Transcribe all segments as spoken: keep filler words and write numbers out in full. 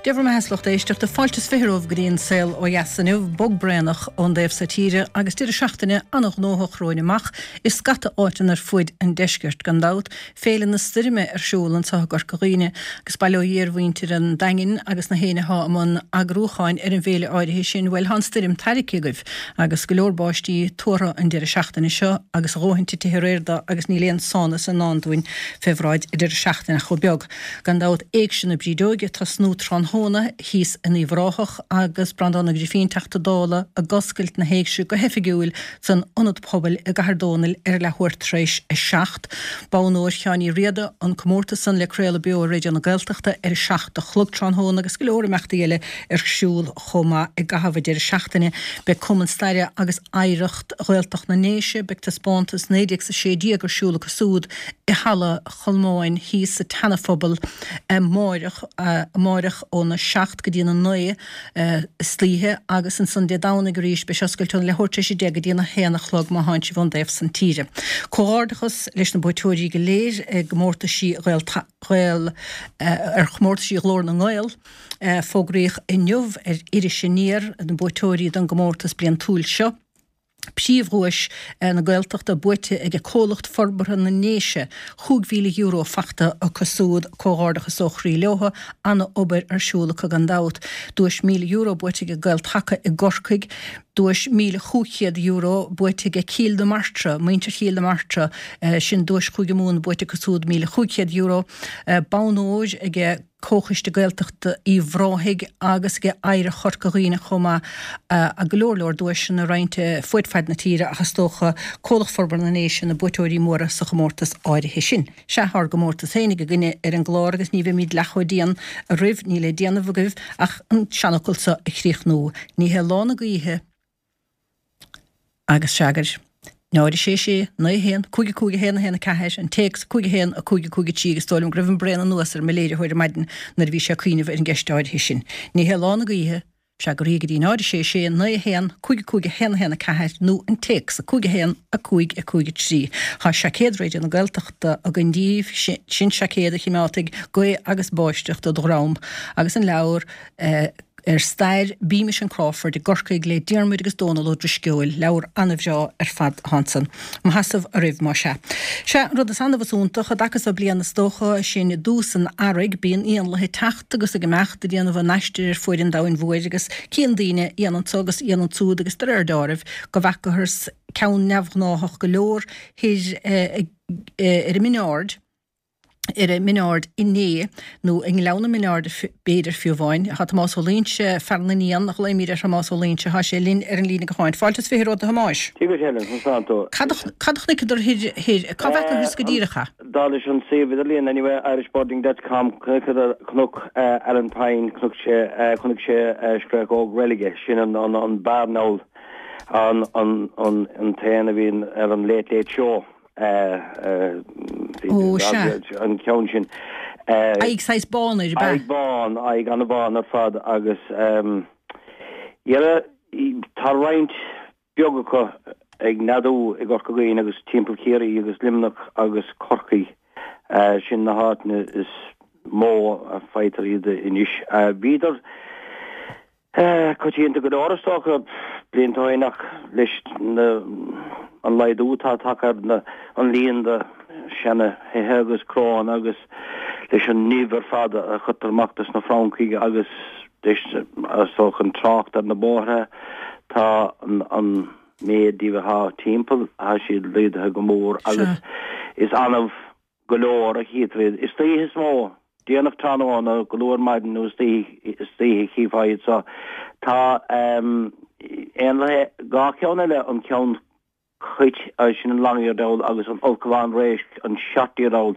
Dia bhur mbeatha, a lucht éisteachta, fáilte is fiche romhaibh go dtí an Saol Ó Dheas inniu, bog braonach ón dtaobh so tíre agus deireadh seachtaine an-ghnóthach romhainn amach i scata áiteanna ar fuaid an deiscirt, gan dabht, Féile na Stoirme ar siúl anseo i gCorca Dhuibhne agus bail ó Dhia ar mhuintir an Daingin agus na héinne atá i mbun eagrúcháin ar an bhféile áirithe sin, bhuel, tá an stoirm tairgthe agaibh agus go leor báistí tuartha an deireadh seachtaine seo agus a dhóthain titithe aréir de agus níl aon sánas i ndán dúinn fé bhráid an deireadh seachtaine ach chomh beag. Gan dabht, Éigse na Brídeoige ag tosnú tráthnóna thíos in Uíbh Ráthach agus Breandán Ó Grifín, Teachta Dála, ag oscailt na hÉigse go hoifigiúil san Ionad Pobail i gCathair Dónaill ar leathuair tar éis a seacht. Bonn Óir Sheáin Uí Riada, an comórtas san le craoladh beo ar Raidió na Gaeltachta ar a seacht a chlog tráthnóna agus go leor imeachtaí eile ar siúl chomh maith i gcaitheamh an deireadh seachtaine. Beidh Cumann Staire agus Oidhreacht Ghaeltacht na nDéise, beidh taispeántas naoi déag 's a sé déag ar siúl acu súd i Halla Cholmáin thíos sa tSeana-Phobal amáireach, amáireach óna seacht go dtí na naoi istoíche agus ansan Dé Domhnaigh arís beidh sé oscailte óna leathuair tar éis a deich go dtí na haon a chlog má thánn sibh ón dtaobh san tíre. Comhghairdeachas leis na buaiteoirí go léir i gcomórtaisí Ghael, Ghael, ar chomórtaisí Ghlór na nGael. Fógraíodh inniu ar Iris Aniar na buaiteoirí don gcomórtas bliantúil seo. Príomhdhuais na Gaeltachta buaite ag Comhlacht Forbartha na nDéise, chúig mhíle euro fachta acu súd, comhghairdeachas ó chroí leotha, ana-obair ar siúl acu gan dabht. Duais míle euro buaite ag Gael-Taca i gCorcaigh, duais míle chúig chéad euro buaite ag Cill na Martra, muintir Chill na Martra, sin duais Chúige Mumhan buaite acu súd, míle chúig chéad euro, bonn óir ag. Comhchoiste Gaeltachta Uíbh Ráthaigh agus ag Oidhreacht Chorca Dhuibhne chomh maith, go leor leor duaiseanna roinnte fuaid faid na tíre ach is dócha Comhlacht Forbartha na nDéise na buaiteoirí móra sa chomórtas áirithe sin. Sea, tá ár gcomórtas féinig againne ar an gclár agus ní bheimid leath chomh dian oraibh, níl le déanamh agaibh ach an seanfhocal seo a chríochnú, Ní hé lá na gaoithe, Agus freagair, náid a sé sé, naoi a haon, cúig a cúig a haon a haon a ceathair, an téacs, cúig a haon, a cúig a cúig a trí agus is dóigh liom go raibh an braon anuas ar mo léiritheoir ar maidin nuair a bhí sé ag cuimhneamh ar an gceist áirithe sin. Ní hé lá na gaoithe, freagraí go dtí náid a sé sé, naoi a haon, cúig a cúig a haon a haon a ceathair nó an téacs, cúig a haon, a cúig a cúig a trí. Tá seaicéad Raidió na Gaeltachta againn díbh, sin seaicéad a chimeádfaidh gaoth agus báisteach de do dhroim agus an leabhar, ar stair Beamish and Crawford i gCorcaigh le Diarmuid agus Dónal Ó Drisceoil, leabhar an-bhreá ar fad atá ansan. Mo sheasamh oraibh, más ea. Sea, an rud is annamh is iontach, i dtaca so bliana is dócha, sin i dtús an earraigh, bíonn éanlaithe ag teacht agus ag imeacht ag déanamh a n-aistir ar fuaid an domhain mhóir agus cíonn daoine éan anso agus éan ansúd agus de réir deáraimh go bhfeacathas ceann neamhghnáthach go leor thoir ar an Mhin Aird, ar an Min Ard inné, nó i nGleann na Min Ard b'fhéidir fiú amháin. Tá Tomás Ó Loingsigh, fear na n-éan, a ghlaoimid ar Thomás Ó Loingsigh, tá sé linn ar an líne gutháin. Fáilte is fiche romhat a Thomáis. Dia duit Helen, conas tánn tú? Cad a chonaiceadar thoir, thoir, cá bhfeacathas go díreach é? Dar leis an suíomh idirlíon anyway, irishbirding dot com, chonaiceadar Cnoc Alan Pyne, chonaic sé, chonaic sé scréachóg reilige, sin an, an, an barn owl, an, an, an, an t-éan a bhíonn ar an Late Late Show. Ó, sea. An ceann sin. Aghaidh saghas bán air, ab ea? Aghaidh bán, aghaidh an-bhán ar fad agus dhera, tá roinnt beag acu ag neadú i gCorca Dhuibhne agus timpeall Chiarraí agus Luimneach agus Corcaigh. Sin na háiteanna is mó a faightear iad anois. Bhíodar. Coitianta go leor is dócha, blianta ó shin ach leis an laghdú atá tagtha ar an líon de seana thithe agus cnónna agus leis an nimh ar fad a chuirtear amach dos na francaigh agus leis is dócha an trácht ar na bóithre tá an méid díobh atá timpeall tá siad laghdaithe go mór agus is annamh go leor a chítear iad. Istoíche is mó, déanach tráthnóna, go luath ar maidin nó istoíche a chífeá iad so. Tá éanlaithe, dhá cheann eile, an ceann cait, sin an long-eared owl, agus an ulchabhán réisc, an short-eared owl.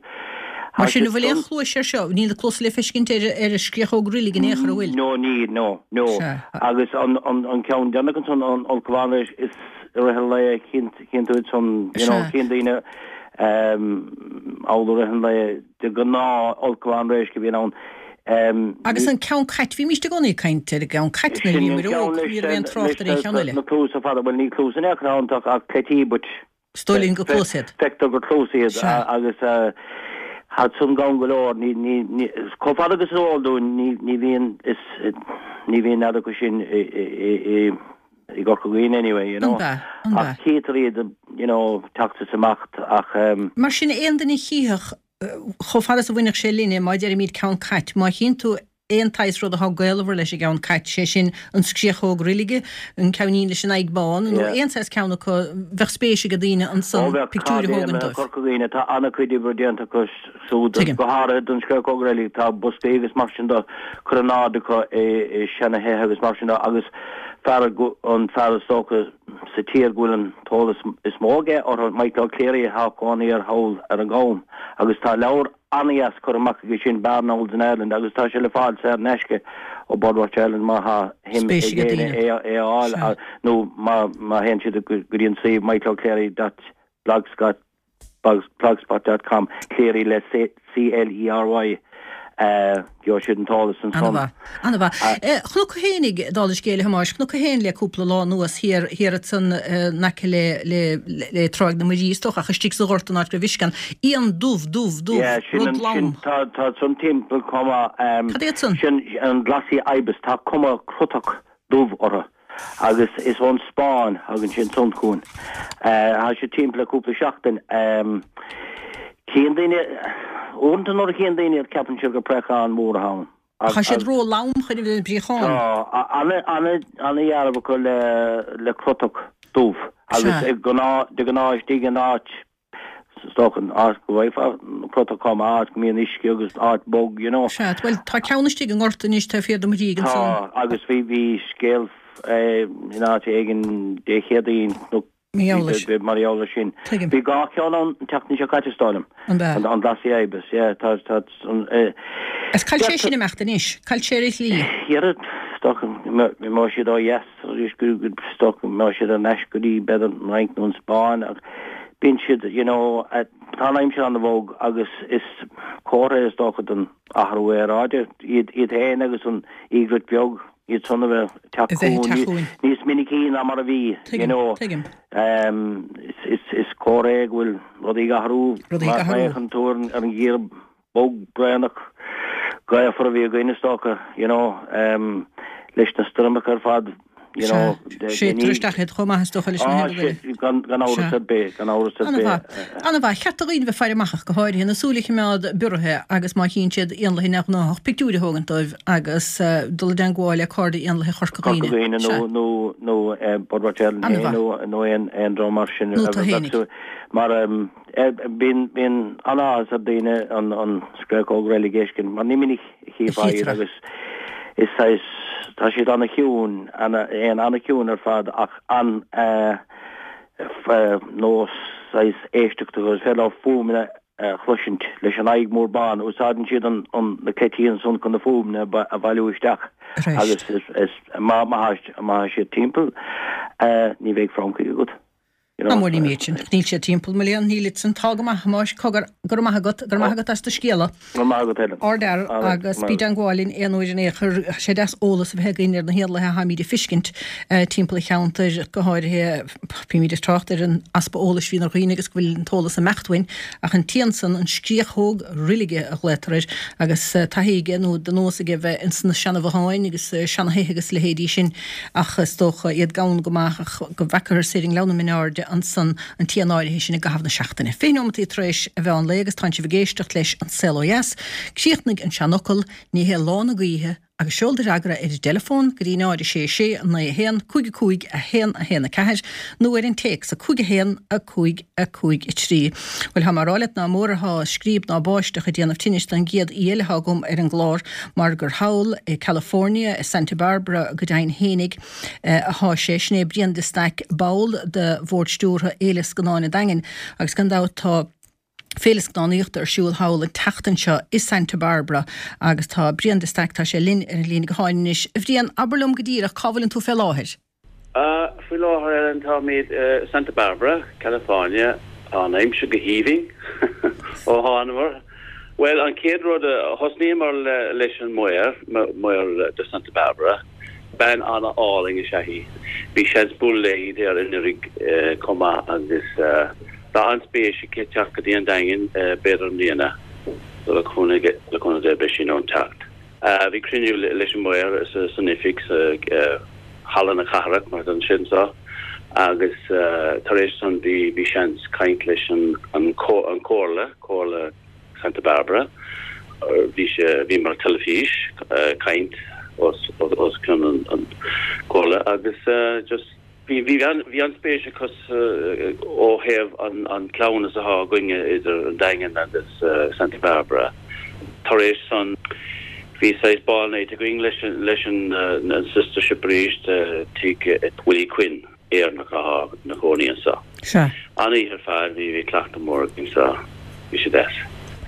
Mar sin, an bhfuil aon chluais air seo? Níl na cluasa le feiscint ar ar an scréachóg roilig in aon chor, an bhfuil? No, níl, no, no. Agus an ceann deireanach ansan, an ulchabhán réisc, is i rith an lae a chíonn tú iad san, you know, chíonn daoine thall i rith an lae, de ghnáth ulchabhán réisc a bhíonn ann. Agus an ceann cait, bhímíst i gcónaí ag caint ar an gceann cait nuair a bhíomar óg, ní raibh aon trácht ar aon cheann eile. Na cluasa fada, bhuel ní cluasa in aon chor ann ach cleití but Is dóigh linn gur cluasa iad. Feictear gur cluasa iad agus Tá san gann go leor, ní, ní, ní, chomh fada agus is eol dúinn, ní, ní bhíonn, is, ní bhíonn nead acu sin i, i, i, i, i gCorca Dhuibhne anyway, you know. An b'ea? An b'ea? Ach chítear iad, you know, teacht is imeacht ach ehm. Mar sin, aon duine a chífeadh, chomh fada is a bhainfeadh sé linne, má deirimid ceann cait, má chíonn tú aon tsaghas rud atá gaolmhar leis an gceann cait, sé sin an scréachóg roilige, an ceainnín leis an aghaidh bán, nó aon saghas ceann acu, bheadh spéis ag daoine Ó ansan bheadh, pictiúir a cairde thógaint i dóibh. Corca Dhuibhne, tá an-chuid oibre déanta acu siúd, Tuigim. go háirithe don scréachóg roilig, tá boscaí agus mar sin de curtha in airde acu i i seana-thithe agus mar sin de agus fear an fear is dócha sa tír go bhfuil an t-eolas is mó aige orthu, Michael O'Clery atá cónaí air thall ar an gCam agus tá leabhar an-dheas curtha amach aige sin, Barn Owls in Ireland, agus tá sé le fáil saor in aisce ó Birdwatch Ireland má thá shuim Spéis ag ag éinne daoine. é a é a fháil Sea. nó má má théann siad go dtí an suíomh michaeloclery dot blogspot blogspot dot com, Clery le C L E R Y, gheobhaidh siad an t-eolas ansan. Ana-mhaith. Ana-mhaith. Chonac thú fhéinig, dála scéil, a Thomáis, chonac thú fhéin le cúpla lá anuas thiar, thiar ansan in aice le, le, le Tráigh na Muirí, is dócha, ach istigh sa ghort an áit go raibh uisce ann. Éan dubh, dubh, dubh, Yeah, sin rud an, sin, lom. tá, tá san timpeall chomh maith, Cad iad san? sin an glossy ibis, tá cuma crutach dubh orthu agus is ón Spáinn a thagann sé ansan chugainn. Tá sé timpeall le cúpla seachtain. Cíonn daoine, uaireanta nuair a chíonn daoine iad ceapann siad gur préachán mór atá ann. Tá siad ró-lom chun a bheith ina bpréachán. Tá, ana-dhealramh acu le le crutach dubh agus Sea. gnáth, de ghnáth istigh in áit, is dócha, áit go bhfaighfeá crutach chomh maith, áit go mbíonn uisce agus áit bog, you know. Sea, bhuel tá ceann istigh i ngort anois taobh thiar de mo thigh ansan. Tá, agus bhí, bhí scéal in áit éigin Dé Céadaoin nó Mar gheall leis. mar gheall air sin. Tuigim. Bhí dhá cheann ann an tseachtain seo caite, is dóigh liom. An b'ea? An, an Glossy Ibis, yeah, tá, tá, an, eh, Is cá bhfuil sé deirtear, sin imeacht anois? Cá bhfuil sé ar a shlí? Dhera, is dócha go mbeidh siad ó dheas arís, go, go, is dócha go mbeidh siad ar ais go dtí b'fhéidir an Fhrainc nó an Spáinn ach bíonn siad, you know, tá an aimsir an-bhog agus is comhartha é is dócha den athrú aeráide iad, iad féin agus an egret beag, iad san a bheith ag teacht A bheith ag chugainn teacht chugainn. níos minicí ná mar a bhí, you Tuigim, know. tuigim. Um, is, is, is comhartha é go bhfuil rudaí ag athrú, Rudaí ag má athrú. fhéachann tú ar an, ar an gheimhreadh bog braonach gaofar a bhí againn is dócha, you know, um, leis na stoirmeacha ar fad, you know, Séidtear isteach iad chomh maith is dócha leis na Ah, héadaí. sé, gan, gan amhras Sea. ar bith, gan amhras ar Ana-mhaith. bith. Ana-mhaith. Cheart do dhaoine bheith faire amach ach go háirithe na súile a choimeád bioraithe agus má chíonn siad éanlaithe neamhghnáthach pictiúir a thógaint dóibh agus uh, dul i dteagmháil le Cairde Éanlaithe Chorca Corca Dhuibhne. Dhuibhne nó Sea. nó nó eh, Birdwatch Ireland Ana-mhaith. nó nó aon aon dream mar sin Nó a tú bheadh fhéinig. sú- mar um, eh, bíonn bíonn an-áthas ar daoine an an scréachóg roilig a fheiscint mar ní minic a chífeá iad Chítear. agus is saghas tá siad ana-chiúin ana éan ana-chiúin ar fad ach an eh, f- eh, nós saghas éisteachta agus féidir leo fuaimeanna a chloisint leis an aghaidh mór bán úsáideann siad an an na cleití ansan chun na fuaimeanna a ba- a bhailiú isteach Reist. agus is is má má má siad timpeall eh, ní bheidh francaigh agat. You know, Tá mór ní sin. Níl siad timpeall mo léan níl san tá go maith Thomáis cogar go raibh maith agat go raibh maith agat as do scéala. Go maith agat Helen. Ardfhear All right, agus maith bí i dteagmháil linn aon uair in aon chor sé deas eolas a bheith againn ar na héanlaithe atáimid a fheiscint eh, timpeall an cheantair go háirithe bímid ag trácht ar an easpa eolais bhíonn ar dhaoine agus go bhfuil an t-eolas ag imeacht uainn ach an t-éan san an scréachóg roilige a ghlaotar air agus eh, taithí aige nó de nós aige bheith ins na seanabhotháin agus eh, seanatithe agus leithéidí sin ach is dócha iad gann go maith ach go bhfeacathar ar an nGleann in airde ansan an t-éan áirithe sin i gcaitheamh na seachtaine. Fiche nóiméad tar éis a mheán lae agus tá sibh ag éisteacht leis an Saol Ó Dheas, Críochnaigh an seanfhocal ní hé lá na gaoithe agus seol do fhreagra ar an dteileafón go dtí náid sé sé naoi a haon cúig a cúig a haon a haon a ceathair nó ar an téacs a cúig a haon a cúig a cúig a trí. Well tá mar álet ná mórtá scríb ná báisteach a déanamh tinnis don gcéad aoi eile atá agam ar an gclár mar gur thall i California i Santa Barbara go deimhin fhéinig eh, atá sé sin é Brian de Staic ball de bhord stiúrtha Fhéile Scannán an Daingin agus gan dabht tá Féile scannánaíochta ar siúl thall an tseachtain seo i Santa Barbara agus tá Brian de Staic tá sé linn ar an líne gutháin anois. A Bhriain abair liom go díreach cá bhfuileann tú fé láthair. Uh, faoi láthair Ellen táimid uh, Santa Barbara, California, an aimsir go haoibhinn ó thánamar. Well an chéad rud a thosnaíomar le, leis an maor maor de Santa Barbara, bean an-álainn is ea í. Bhí seans bualadh léi ar anuraidh uh, chomh maith agus uh, tá an-spéis aici teacht go dtí an Daingean uh, b'fhéidir i mbliana. So le cúnamh le cúnamh Dé beidh sí in ann teacht. Bhí cruinniú leis an maor san oifig sa Halla na Cathrach mar don sin so agus tar éis san bhí bhí seans caint leis an an comhairle, Comhairle Santa Barbara. Bhí sé bhí mar teilifís caint os os cionn an an comhairle agus just bhí bhí an bhí an-spéis acu ó thaobh an an cleamhnas atá againne idir an Daingean agus Santa Barbara. Tar éis san bhí saghas ball night againn leis leis an an sister ship arís tigh Willie Quinn Éireannach atá ina chónaí anseo. Sea. An-oíche ar fad bhí bhí cleachtadh mór againn so bhí sé deas.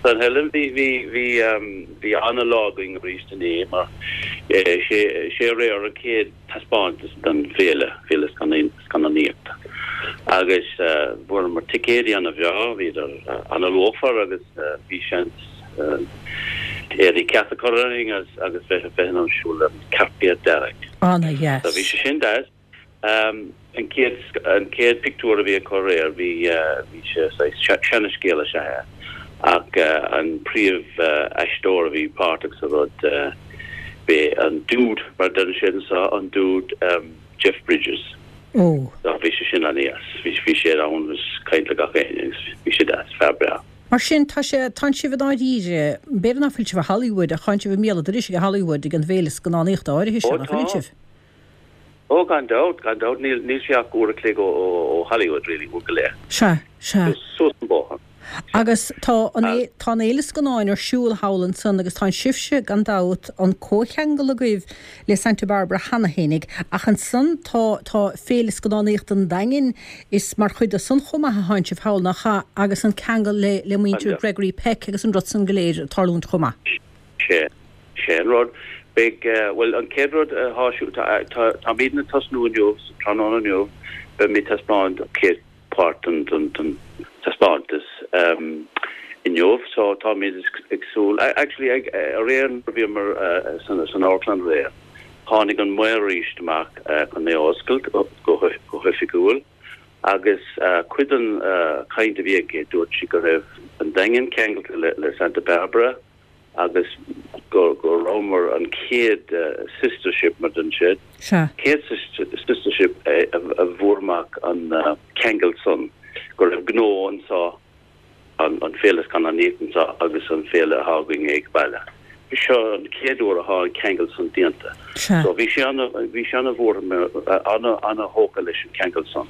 San Helen bhí bhí bhí bhí an-lá againn arís inné mar sé sé aréir an chéad taispeántas den féile féile scannánaíochta. Agus fuaireamar ticéidí an-bhreá, bhíodar an-luachmhar agus bhí seans éadaí ceart a chur orainn agus agus bheith bheith in ann siúl an cairpéad dearg. An-dheas. So bhí sé sin deas. An chéad an chéad pictiúr a bhí acu aréir bhí bhí sé seanascéal is ea é ach an príomh aisteoir a bhí páirteach sa rud b'é an dude mar a deireann siad anseo an dude Jeff Bridges. Ó. So bhí sé sin an-deas. Bhí bhí sé ann agus caint le gach éinne agus bhí sé deas, fear breá. Mar sin tá sé tánn sibh i ndáiríre, b'fhéidir nach bhfuil sibh i Hollywood ach tánn sibh i mbéal an dorais ag Hollywood ag an bhféile scannánaíochta áirithe seo, nach bhfuil sibh? Ó gan dabht, gan dabht, níl níl sé ach uair a chloig ó ó Hollywood really, uair go leith. Sea, sea. Suas an bóthar. Agus tá an tá an fhéile scannáin ar siúl thall ansan agus tá sibhse gan dabht an comhcheangal agaibh le Santa Barbara cheana fhéinig ach ansan tá tá féile scannánaíochta an Daingin is mar chuid de san chomh maith a thánn sibh thall nach ea agus an ceangal le le muintir Gregory Peck agus an rud san go léir ag tarlúint chomh maith. Sé sé an rud. Beidh bhuel an chéad rud atá siúl tá tá táimidne ag tosnú inniu tráthnóna inniu beimid ag taispeáint an chéad páirt den den den taispeántas inniu so táimid ag súil actually ag aréir bhíomar san san amharclann aréir tháinig an maor arís amach chun é a oscailt go go hoifigiúil agus cuid den chaint a bhí aici dúirt sí go raibh an Daingean ceangailte le le Santa Barbara agus go go rabhamar an chéad sister ship mar den siad. Sea. Chéad sister ship a a bhfuair amach an ceangal san go raibh gnó anseo an an féile scannánaíochta anseo agus an féile atá againn ag baile. Seo an chéad uair atá an ceangal san déanta. Sea. So bhí sé an bhí sé an-mhór ana ana-thógtha leis an ceangal san.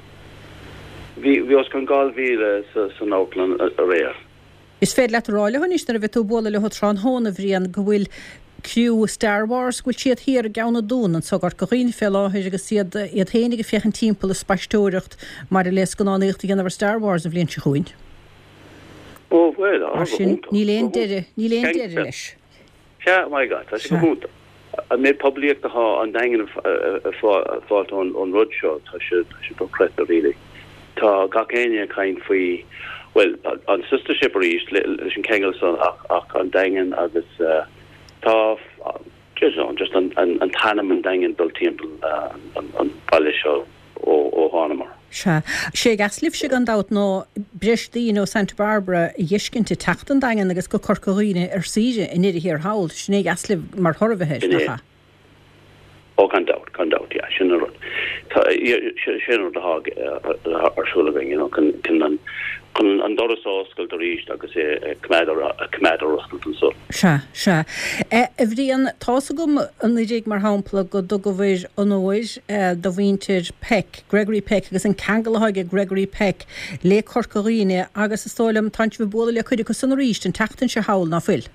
Bhí bhí os cionn dhá mhíle sa san amharclann aréir. Is féidir leat a rá leo anois nuair a bheidh tú ag bualadh leo tráthnóna, a Bhriain, go bhfuil criú Star Wars, go bhfuil siad thiar i gCeann na Dún anso i gCorca Dhuibhne fé láthair agus iad iad féin ag féachaint timpeall ag spaisteoireacht maidir le scannánaíocht a dhéanamh ar Star Wars an bhliain seo chugainn. Ó, bhuel, Mar sin, níl aon deireadh, níl aon deireadh leis. Sea, my God, tá sé go hiontach. An méid poiblíocht atá an Daingean ag fáilt ón rud seo, tá sé tá sé dochreidte really. Tá gach éinne ag caint faoi, bhuel, an sister ship arís leis an ceangal san ach ach an Daingean agus tá just just an an an t-ainm an Daingean dul timpeall an an baile seo ó ó thánamar. Sea. Sé a dheas libhse gan dabht ná breis daoine ó Santa Barbara a fheiscint ag teacht an Daingean agus go Corca Dhuibhne ar saoire i ndeireadh thiar thall. Sin é a dheas libh mar thoradh air, nach ea? Ó gan dabht, gan dabht, yeah, sin an rud. Tá, sin an rud atá ar siúl againn, you know, chun chun an chun an doras a oscailt arís agus é a choimeád ar a choimeád ar oscailt anso. Sea, sea. A Bhriain, tá's agam anuraidh, mar shampla, go dtugabhair onóir do mhuintir Peck, Gregory Peck, agus an ceangal atá ag Gregory Peck le Corca Dhuibhne agus is dóigh liom, tánn sibh ag bualadh le cuid acu san arís an tseachtain seo thall, ná fuil?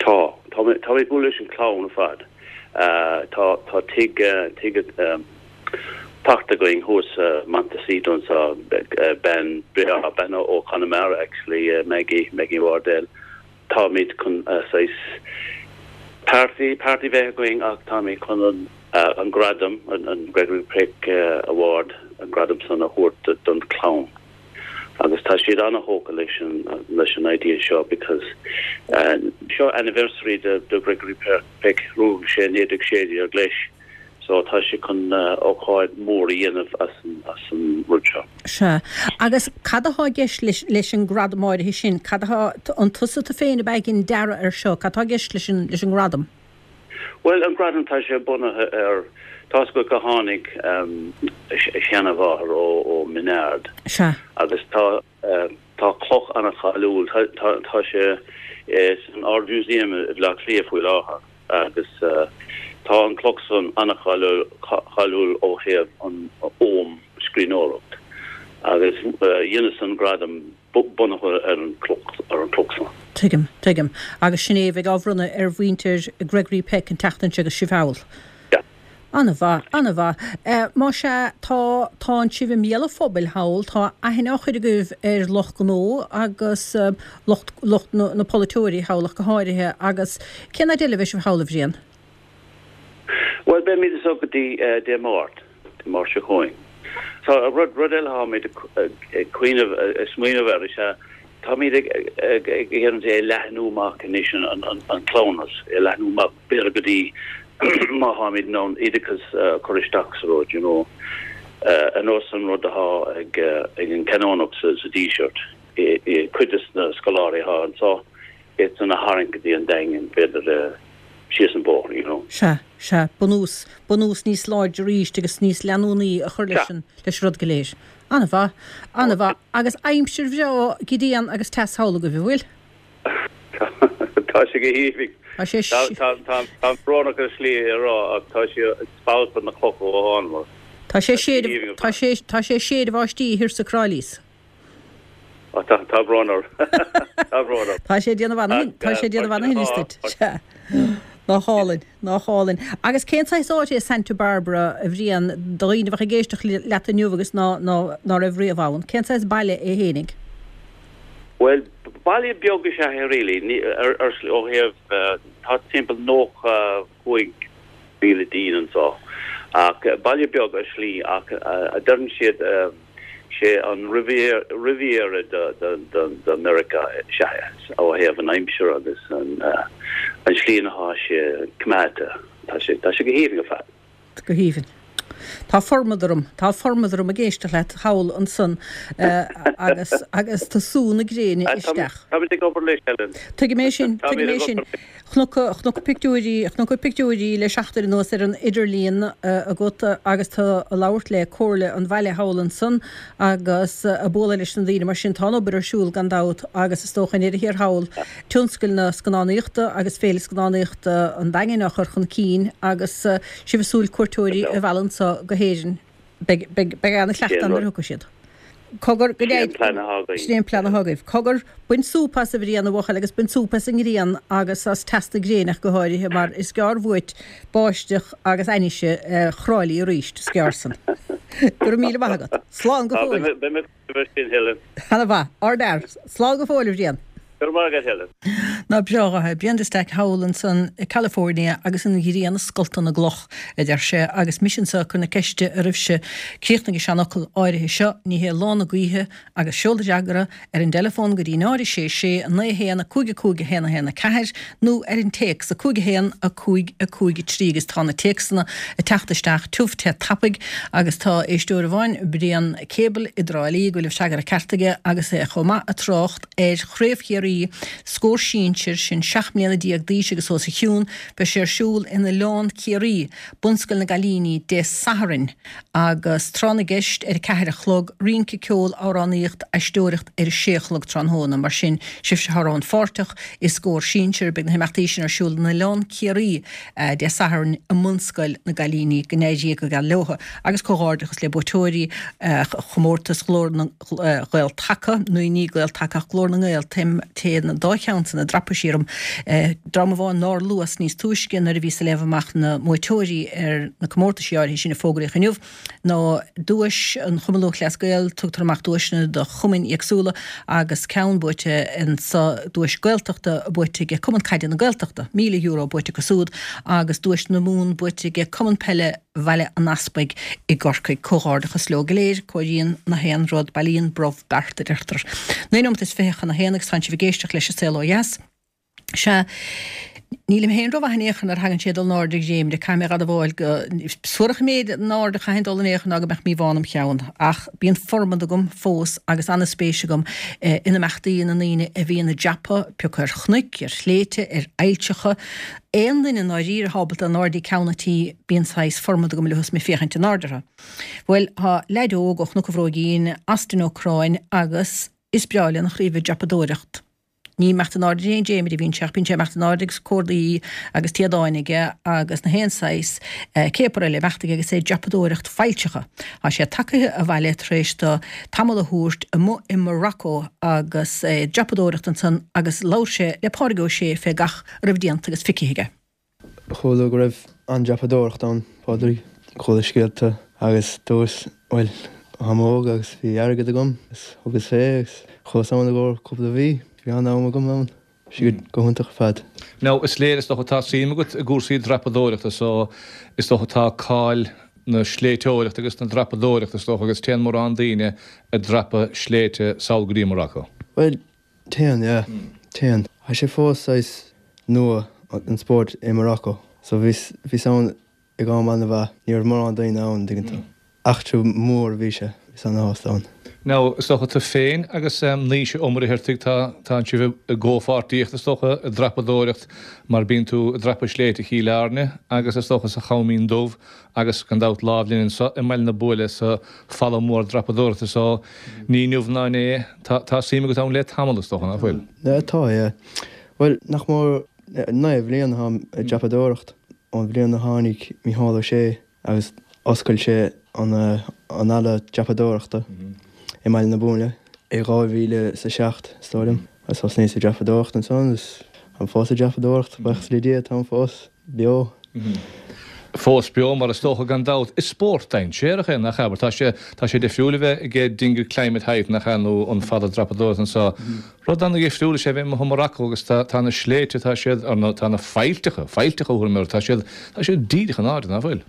Tá. Tá mé ag bualadh leis an chlann ar fad. Tá tá tigh tigh fachta againn thuas Montecito anseo, bean breá, bean ó Chonamara actually, Maggie, Maggie Wardell. Táimid chun saghas party, party bheith againn ach táimid chun an an gradam, an Gregory Peck Award, an gradam san a thabhairt don chlann. Agus tá siad ana-thógtha leis an leis an idea seo because seo anniversary de de Gregory Peck, rugadh sé naoi déag sé déag leis. So tá sé chun ócáid mór a dhéanamh as an as an rud seo. Sea. Agus cad atá i gceist leis leis an gradam áirithe sin? Cad atá an tusa tú féin a bheidh ag dearadh ar seo? Cad atá i gceist leis an leis an ngradam? Bhuel an gradam tá sé bunaithe ar tá's agat go tháinig a sheanmháthair ó ó Menard. Sea. Agus tá tá cloch an-cháiliúil tá tá tá sé san Ard Mhúsaem i Bhleá Cliath faoi láthair agus tá an cloch san an-cháiliúil ó thaobh an ogham scríbhneoireacht agus dheineas an gradam bunaithe ar an cloch ar an cloch san. Tuigim, tuigim. Agus sin é a bheidh á bhronnadh ar mhuintir Gregory Peck an tseachtain seo agus sibh thall. Yeah. An-mhaith, an-mhaith. Más ea, tá, tánn sibh i mbéal an phobail thall, tá aithne á chur agaibh ar lucht gnó agus lucht, lucht na, na polaiteoirí thall ach go háirithe agus cén fhad eile a bheidh sibh thall, a Bhriain? Bhuel, beimid anseo go dtí Dé Máirt, Dé Máirt seo chugainn. Tá rud, rud eile atáimid ag cuimhneamh, ag smaoineamh air is ea táimid ag, ag, ag iarraidh é a leathnú amach anois an, an, an cleamhnas, é a leathnú amach b'fhéidir go dtí má tháimid in ann oideachas a chur isteach sa rud, you know, ar nós an rud atá ag, ag an Canónach sa, sa Díseart, i, i cuid de na scoláirí atá anseo, iad san a tharraingt go dtí an Daingean, b'fhéidir síos an bóthar, you know. Sea, sea, bunús, bunús níos láidre arís agus níos leanúnaí a chur leis an, leis an rud go léir. An-mhaith, an-mhaith. Agus aimsir bhreá, grian agus teas thall agaibh, an bhfuil? Tá sé go haoibhinn. Tá sé Tá, tá, tá, tá brónach ar shlí a rá ach tá sé ag spalpadh na clocha ó thánamar. Tá sé séideadh, tá sé, tá sé séideadh báistí thiar sa Cráilís. Ó tá, tá brón orm. Tá brón orm. Tá sé ag déanamh ana, tá sé ag déanamh ana thinnis duit. Sea. Nach álainn, nach álainn. Agus cén saghas áit é Santa Barbara, a Bhriain, do dhaoine a bheadh ag éisteacht leat inniu agus ná, ná, ná raibh riamh ann? Cén saghas baile é fhéinig? Bhuel, baile beag is ea é really, ní, ar, ar, ó thaobh, tá timpeall nócha cúig mhíle daoine anseo. Ach baile beag ar shlí ach a deireann siad, sé an Riviera de Meiriceá is ea é, ó thaobh an aimsir agus an slí ina thá sé coimeádta. Tá sé tá sé go haoibhinn ar fad. Go haoibhinn. Tá formad orm, tá formad orm ag éisteacht leat thall ansan agus agus tá sú na gréine isteach. Táimid ag obair leis, Helen. Tuigim é sin, tuigim é sin. Chonac, chonac pictiúirí, chonac pictiúirí le seachtain anuas ar an idirlíon agat agus tú ag labhairt le comhairle an bhaile thall ansan agus ag bualadh leis na daoine mar sin tá an obair ar siúl gan dabht agus is dócha i ndeireadh thiar thall tionscal na scannánaíochta agus Féile Scannánaíochta an Daingin á chur chun cinn agus sibh ag súil cuairteoirí a mhealladh anso go hÉirinn. Beidh, beidh, beidh ana-chleachtadh ann nuair a thiocfaidh siad. Cogar, go Sin é an plean atá againn. Sin é an plean atá agaibh. Cogar, bain súp as a Bhriain, a bhuachaill, agus bain súp as an ngrian agus as teas na gréine ach go háirithe, mar is gearr uait báisteach agus ainnise Thrá Lí arís, is gearr san. Go raibh míle maith agat. Slán go fóill. Beidh mé ag sin, Helen. Ana-mhaith. Ardfhear. Slán go fóill, a Bhriain. Go raibh maith agat, Helen. Nach breá é. Brian de Staic thall ansan i California agus an ghrian ag scoltadh na gcloch, a deir sé, agus mise anso ag cur na ceiste oraibhse. Críochnaigh an seanfhocal áirithe seo, ní hé lá na gaoithe, agus seol do fhreagra ar an dteileafón go dtí náid a sé sé naoi a haon a cúig a cúig a haon a haon a ceathair nó ar an téacs a cúig a haon a cúig a cúig a trí agus tá na téacsanna ag teacht isteach tiubh te tapaidh agus tá éisteoir amháin, Brian Cable i dTrá Lí, go bhfuil an freagra ceart aige agus é chomh maith ag trácht ar Chraobh Chiarraí Scór Sinsir, sin seacht mbliana déag d'aois agus os a chionn. Beidh sé ar siúl in Oileán Ciarraí, Bunscoil na gCailíní, Dé Sathairn agus tráth na gceist ar a ceathair a chlog, rince, ceol, amhránaíocht, aisteoireacht ar a sé a chlog tráthnóna. Mar sin, sibhse atá rannpháirteach i Scór Sinsir, beidh na himeachtaí sin ar siúl in Oileán Ciarraí Dé Sathairn i mBunscoil na gCailíní. Go n-éirí go geal leo agus comhghairdeachas le buaiteoirí chomórtas Ghlór na Gael-Taca, nó ní Gael-Taca ach Glór na nGael, téann an dá cheann san i dtraipisí orm. Dream amháin nár luas níos túisce nuair a bhíos ag léamh amach na mbuaiteoirí ar na comórtaisí áirithe sin a fógraíodh inniu ná duais an Chumainn Lúthchleas Gael, tugtar amach duaiseanna do chumainn éagsúla agus ceann buaite anso, duais Gaeltachta buaite ag Cumann Caide na Gaeltachta, míle euro buaite acu súd agus duais na Mumhan buaite ag Cumann Peile Bhaile an Easpaig i gCorcaigh. Comhghairdeachas leo go léir. Cóiríonn na haon rud, bailíonn brobh beart, a deirtear. Naoi nóimeat is fiche chun a haon agus tánn sibh ag éisteacht leis An Saol Ó Dheas. Sea, Nílim féin rómhaith in aon chor nuair a thagann sé ag dul in airde ag dréimire, caithfidh mé a admháil go suarach an méid in airde a chaithfinn dul in aon chor ná go mbeadh míobhán im cheann. Ach bíonn formad agam fós agus an-spéis agam in imeachtaí na ndaoine a bhíonn ag dreapadh, pé acu ar chnoic, ar shléibhte, ar aillteacha. Aon duine i ndáiríre atá ábalta in airde ag ceann an tí, bíonn saghas formad agam leo is mé ag féachaint in airde orthu. Bhuel, tá leaid óg ó Chnoc an Bhróigín, Austin Ó Curráin, agus is breá lena chroí bheith ag dreapadóireacht. Ní ag imeacht in airde ar aon dréimire a bhíonn sé ach bíonn sé ag imeacht in airde agus cordaí agus téadáin aige agus na haon saghas céapar eile ag imeacht aige agus é ag dreapadóireacht faillteacha. Tá sé tagaithe abhaile tar éis do tamall a thabhairt amuigh i Morocco agus é ag dreapadóireacht ansan agus labhair sé le Pádraig Ó Sé fé gach a raibh déanta agus feicthe aige. Chuala go raibh an-dreapadóireacht ann, Pádraig. Chuala scéalta agus dúirt, bhuel, táim óg agus bhí airgead agam agus thugas fé agus chuas ann i gcomhair cúpla mhí. Bhí an-am agam ann. Bhí sé go hiontach ar fad. Now, is léir, is dócha, tá suim agat i gcúrsaí dreapadóireachta so is dócha tá cáil na sléibhteoireachta agus na dreapadóireachta is dócha agus téann mórán daoine ag dreapadh sléibhte sall go dtí Morocco. Bhuel, téann, yeah. Téann. Tá sé fós saghas nua, an spórt i Morocco. So bhíos, bhíos ann ag am an-mhaith. Ní raibh mórán daoine ann, an dtuigeann tú. Eachtra mór a bhí sé. Bhíos ana-shásta ann. Now, is dócha tú féin agus Naoise Ó Muircheartaigh, tá, tánn sibh i gcomhpháirtíocht is dócha i dreapadóireacht mar bíonn tú ag dreapadh sléibhte Chill Airne agus is dócha sa Choimín Dubh agus gan dabht lámh linn anso i mBaile na Buaile sa falla mór dreapadóireachta so ní inniu ná inné, tá, tá suim agat ann le tamall is dócha, nach bhfuil? Tá, yeah. Bhuel, nach mór naoi bhliain atáim ag dreapadóireacht ón bhliain a tháinig Mícheál Ó Sé agus oscail sé an an halla dreapadóireachta i mBaile na Buaile i dhá mhíle is a seacht, is dóigh liom. Agus thosnaíos ag dreapadóireacht ansan agus táim fós ag dreapadóireacht, buíochas le Dia, táim fós beo. Fós beo, mar is dócha, gan dabht. Is spórt dainséarach é, nach ea? Mar tá sé, tá sé difriúil a bheith ag Dingle Climb at Height, nach ea, nó an falla dreapadóireachta anseo. Rud an-dhifriúil is ea bheith amuigh i Morocco agus tá, tá na sléibhte, tá siad, ar na, tá na faillteacha, faillteacha a thabharfainn orthu, tá siad, tá siad díreach in airde, nach bhfuil?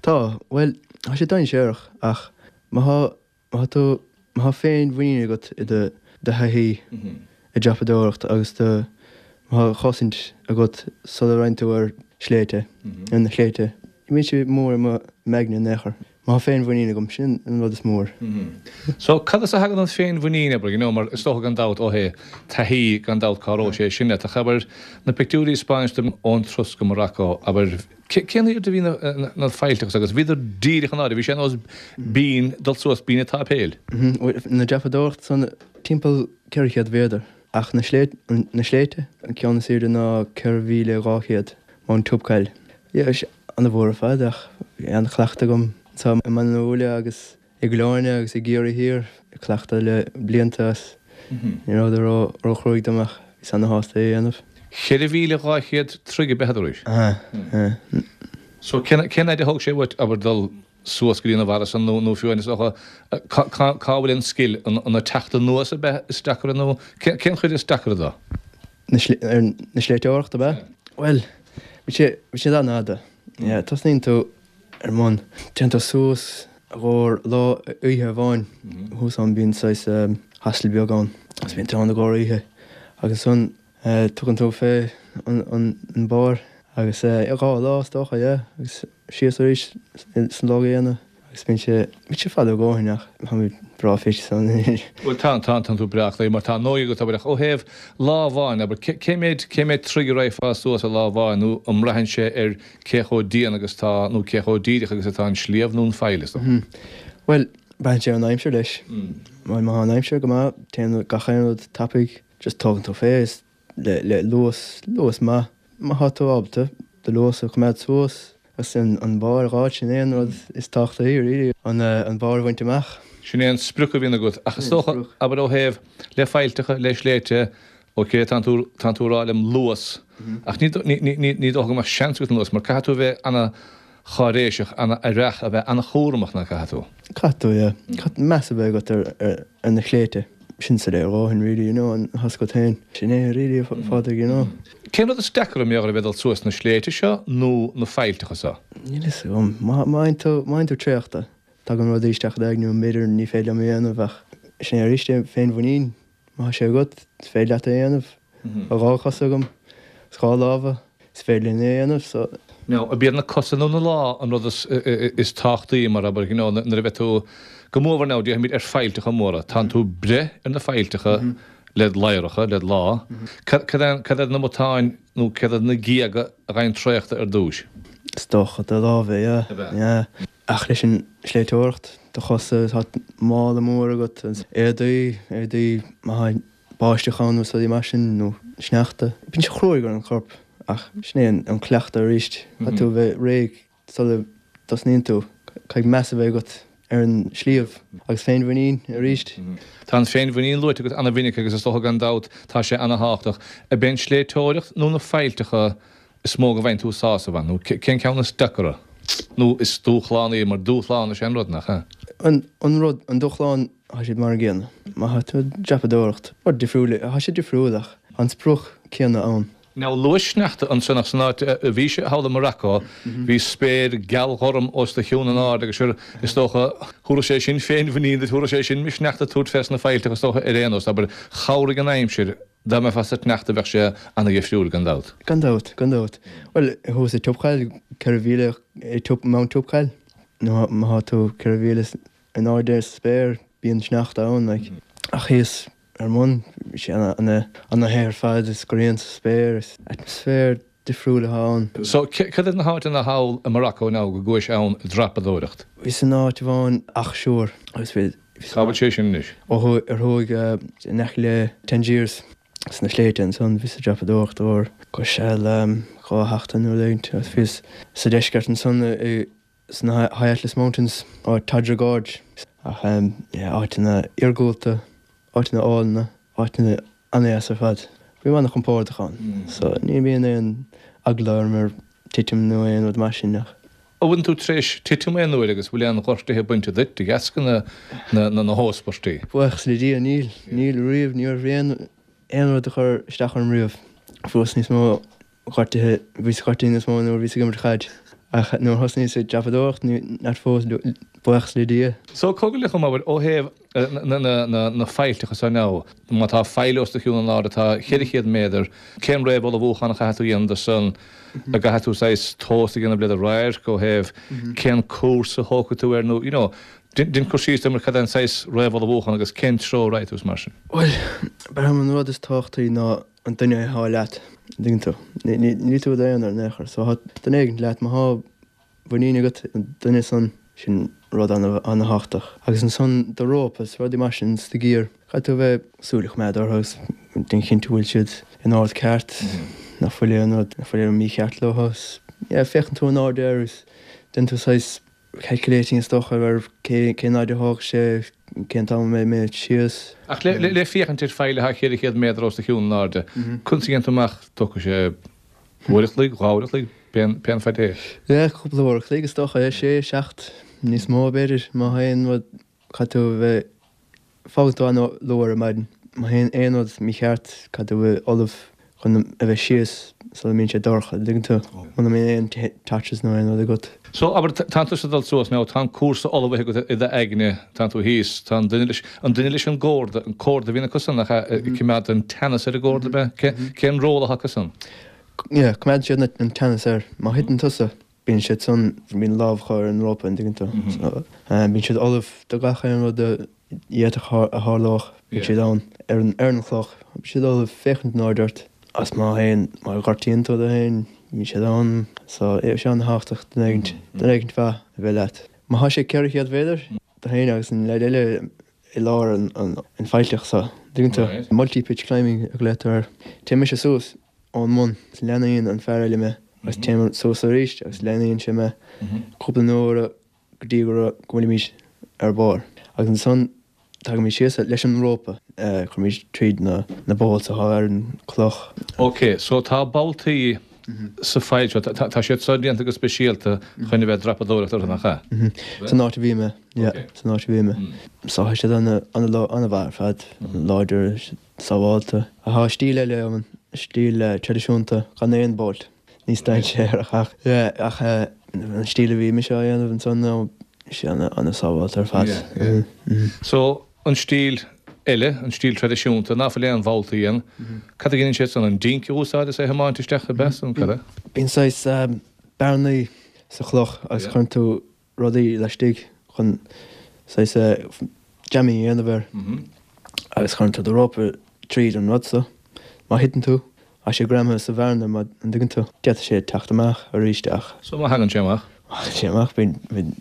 Tá, bhuel, tá sé dainséarach ach má thá, má thá tú, má thá féinmhuinín agat i do, do thaithí i dreapadóireacht agus do, má thá cosaint agat sula raghann tú ar sléibhte, ar na sléibhte, ní bhíonn sé mór i mo m'aigne in aon chor. Má thá féinmhuinín agam, sin an rud is mór. So, cad as a thagann an féinmhuinín, abair, you know, mar is dócha gan dabht, ó thaobh taithí, gan dabht cabhróidh sé sin leat, ach abair, na pictiúirí a 'spáineas dom ón turas go Morocco, abair, cén airde a bhí na, na faillteacha agus bhíodar díreach in airde, bhí sé ar nós binn, dul suas binn an tsáipéil. Na dreapadóireacht san timpeall ceithre chéad mhéadar, ach na sléibhte, na sléibhte, an ceann is airde ná ceithre mhíle dhá chéad, Mount Toubkal. Yeah, bhí sé an-mhór ar fad ach bhí an-chleachtadh agam anseo i mBaile na Buaile agus i gCill Airne agus i gCiarraí Thiar, cleachtadh le blianta agus ní rabhadar ró-chruaidh dom ach bhíos ana-shásta é a dhéanamh. Ceithre mhíle dhá chéad troigh ab ea arís? Aha, aha. So cén cén fhaid a thóg sé uait, abair, dul suas go dtí na barra san nó nó fiú is dócha cá cá cá bhfuil an scil, an an ag teacht anuas ab ea is deacra nó cén cén chuid is deacra dó? Na sli ar na sléibhteoireacht ab ea? Bhuel, bhí sé bhí siad an-fhada. Yeah, tosnaíonn tú ar mbun, téann tú suas i gcomhair lá oíche amháin, thuas ann bíonn saghas hostel beag ann agus bíonn tú ann i gcomhair oíche agus ansan tugann tú fé an an barr agus dhá lá is dócha, yeah, agus síos arís san lá gcéanna. Agus bíonn sé, bíonn sé fada a dhóthain ach táimid breá fit san. Bhuel tá, tá, tánn tú breá aclaí mar tá an óige agat abair ach ó thaobh lá amháin abair cé, cé méid, cé méid troigh a raghfá suas i lá amháin nó an mbraitheann sé ar cé chomh dian agus tá nó cé chomh díreach agus atá an sliabh nó an faill is dócha? Bhuel braitheann sé ar an aimsir leis. Bhuel má tá an aimsir go maith téann gach aon rud tapaidh just tógann tú fé is le, le luas, luas maith. Má tá tú ábalta do luas a choimeád suas Agus an barr a fháil, sin é an rud is tábhachtaí really, an barr a bhaint amach. Sin é an sprioc a bhíonn agat. Ach is dócha, abair ó thaobh, le faillteacha, le sléibhte, ok, tánn tú, tánn tú ag rá liom luas, ach ní, ní, ní, ní dócha go mbeadh seans agat an luas, mar caithfidh tú a bheith ana-cháiréiseach, ana-aireach, a bheith ana-chúramach, nach gcaithfidh tú? Caithfidh tú, yeah. Caithfidh meas a bheith agat ar, ar na sléibhte. Sin soiléir a dhóthain really, you know, an tá a fhios agat féin. Sin é really, a Phádraig, you know. Cén rud is deacra mar gheall ar a bheith ag dul suas na sléibhte seo nó na faillteacha seo? Níl a fhios agam. Má fhaigheann tú, má fhaigheann tú traochta, tagann rudaí isteach i d'aigne, b'fhéidir ní féidir liom é a dhéanamh ach sin é arís é, féinmhuinín, má tá sé agat, is féidir leat é a dhéanamh. Tá dhá chos agam, dhá lámha, is féidir linn é a dhéanamh so. Now, ab iad na cosa nó na lámha an rud is is tábhachtaí mar abair, you know, nuair a bheith tú go mór now, déarfaimid ar faillteacha móra, tánn tú ag breith ar na faillteacha led ladhracha, led lámha. Cad cad iad na matáin nó cad iad na géaga a ghaibheann traochta ar dtúis? Is dócha do lámha, yeah, yeah. Ach leis an sléibhteoireacht, do chosa, tá mála mór agat, éadaí, éadaí maithe báisteach ann nó rudaí mar sin nó sneachta. Bíonn sé cruaidh ar an chorp ach sin é an cleachtadh arís. Caithfidh tú a bheith réidh sula dtosnaíonn tú. Caithfidh meas a bheith agat ar an sliabh agus féinmhuinín arís. Tá an féinmhuinín luaite agat ana-mhinic agus is dócha gan dabht tá sé ana-thábhachtach. Ab é an sléibhteoireacht nó na faillteacha is mó go bhfaigheann tú sásamh ann nó cén ceann is deacra nó is dúshlánaí mar dúshlán is ea an rud, nach ea? An rud, an dúshlán, tá siad mar an gcéanna. Má tá tú ag dreapadóireacht, rud difriúil, tá sé difriúil ach an sprioc céanna ann. Now luaigh sneachta ansan ach san áit a bhís thall i Morocco bhí spéir gealghorm os do chionn in airde agus sure is dócha thabharfadh sé sin féinmhuinín duit, thabharfadh sé sin misneach duit tabhairt fés na faillteacha is dócha ar aon nós, abair, chabhraigh an aimsir, dá mbeifeá sa tsneachta bheadh sé ana-dhifriúil gan dabht. Gan dabht, gan dabht. Bhuel, thuas i Toubkal, ceithre mhíle i Mount Toubkal, nó má tá tú ceithre mhíle in airde sa spéir, bíonn sneachta ann, like. Ach thíos ar an mbun, bhí sé ana-the ar fad, is grian sa spéir, is atmaisféar difriúil atá ann. So, cad iad na háiteanna thall i Morocco now go gcuais ann ag dreapadóireacht? Bhíos in áit amháin Akchour agus bhí. Cá bhfuil sé sin anois? Ó thuaidh, ar thuaidh in aice le Tangiers sna sléibhte ansan, bhíos ag dreapadóireacht uair go seal dhá sheachtain nó rud éigint agus bhíos sa deisceart ansan i sna High Atlas Mountains, áit Todra Gorge ach yeah áiteanna iargúlta, áiteanna álainne, áiteanna an-deas ar fad. Bím an-chompordach ann so ní bhíonn aon eagla orm ar titim nó aon rud mar sin ach. An bhfuil tú tar éis titim aon uair agus bhfuil aon ghortuithe bainte duit de dheasca na na hóspairtí? Buíochas le Dia níl, níl riamh, ní raibh aon aon rud a chur isteach orm riamh. Fuaireas níos mó gortuithe, bhíos gortaithe níos mó nuair a bhíos ag imirt chaid ach nuair a thosnaíos ag dreapadóireacht ní, not fós, buíochas le Dia. So cogar liom abair ó thaobh na na na na faillteacha so now, má tá faill os do chionn in airde atá cheithre chéad méadar, cén réamh-ullmhúchán a chaithfidh tú a dhéanamh do san, a gcaithfidh tú saghas tomhas a dhéanamh le do radharc ó thaobh cén cúrsa a thógfaidh tú air nó you know, déan cur síos dom ar cad é an saghas réamh-ullmhúchán agus cén treo a raghaidh tú is mar sin. Bhuel, b'fhéidir an rud is tábhachtaí ná an duine atá leat, an dtuigeann tú. Níl tú i d'aonar in aon chor. So tá duine éigin leat, má tá muinín agat an duine san, sin rud ana-thábhachtach. Agus ansan do rópa is rudaí mar sin is do gear, caithfidh tú a bheith súil a choimeád orthu agus déan cinnte go bhfuil siad in ord ceart, nach bhfuil aon rud, nach bhfuil aon mícheart leo agus yeah féachann tú in airde air agus déanann tú saghas calculating is dócha ar cén fhaid a thógfaidh sé, cén t-am a mbeidh mé síos. Ach le féachaint ar faill atá ceithre chéad méadar os do chionn in airde, conas a dhéanann tú amach, tógfaidh sé uair a chloig, dhá uair a chloig, pén fad é? Yeah, cúpla uair a chloig is dócha, sé, seacht, níos mó b'fhéidir, má théann rud, caithfidh tú a bheith Fágann tú an-luath ar maidin. Má théann aon rud mícheart, caithfidh tú a bheith ullamh chun a bheith síos sula mbíonn sé dorcha, an dtuigeann tú? Muna mbíonn aon torches nó aon rud agat. So, abair, tánn tusa ag dul suas now, tá an cúrsa ullmhaithe agat i d'aigne, tánn tú thíos, tá an duine leis, an duine leis an gcorda, an corda a bhíonn acu san, nach ea, ag coimeád an teannas ar an gcorda, ab ea? Cén ról atá acu san? Yeah, coimeádann siad an teannas air. Má thiteann tusa, bíonn siad san, bíonn lámh acu ar an rópa, an dtuigeann tú? So, bíonn siad ullamh do gach aon rud a d'fhéadfadh a tharlódh, bíonn siad ann ar an ar an chloch, bíonn siad ullamh féachaint in airde ort agus má théann, má ghortaíonn tú tú féin, bíonn siad ann. So, tá sé an-thábhachtach duine éigint, duine éigint mhaith a bheith leat. Má thá sé ceithre chéad mhéadar, tú féin agus an leaid eile i lár an an faillteach so, an dtuigeann tú? Multi-pitch climbing a ghlaotar air. Téann mise suas ón mbun agus leanaíonn an fear eile mé agus téim suas arís agus leanaíonn sé mé cúpla uair go dtí go bhfuilimid ar barr. Agus ansan tagaimid síos leis an rópa, cuirimid tríd na na bolts atá ar an cloch. Ok, so tá boltaí sa faill seo, tá siad seo déanta go speisialta chun a bheith ag dreapadóireacht orthu, nach ea? San áit a bhí mé, yeah, san áit a bhí mé. So tá siad an-mhaith ar fad, láidir, sábhálta. Tá stíl eile ann, stíl traidisiúnta gan aon bolt. Níos dainséarach ach yeah ach an stíl a bhí mise á dhéanamh ansan ná sé ana-sábháilte ar fad. So an stíl eile, an stíl traidisiúnta, ná fuil aon bholtaí ann. Cad a dhéanann siad san? An dinc a úsáid is é a thiomáint isteach ab ea san cad é? Bíonn saghas bearnaí sa chloch agus cuireann tú rudaí laistigh chun saghas jamming a dhéanamh air agus cuireann tú do rópa tríd an rud so. Má thiteann tú, tá sé greamaithe sa bhearna mar an dtuigeann tú, d'fhéadfadh sé teacht amach arís ach. So má thagann sé amach? Má thagann sé amach, bíonn, bíonn,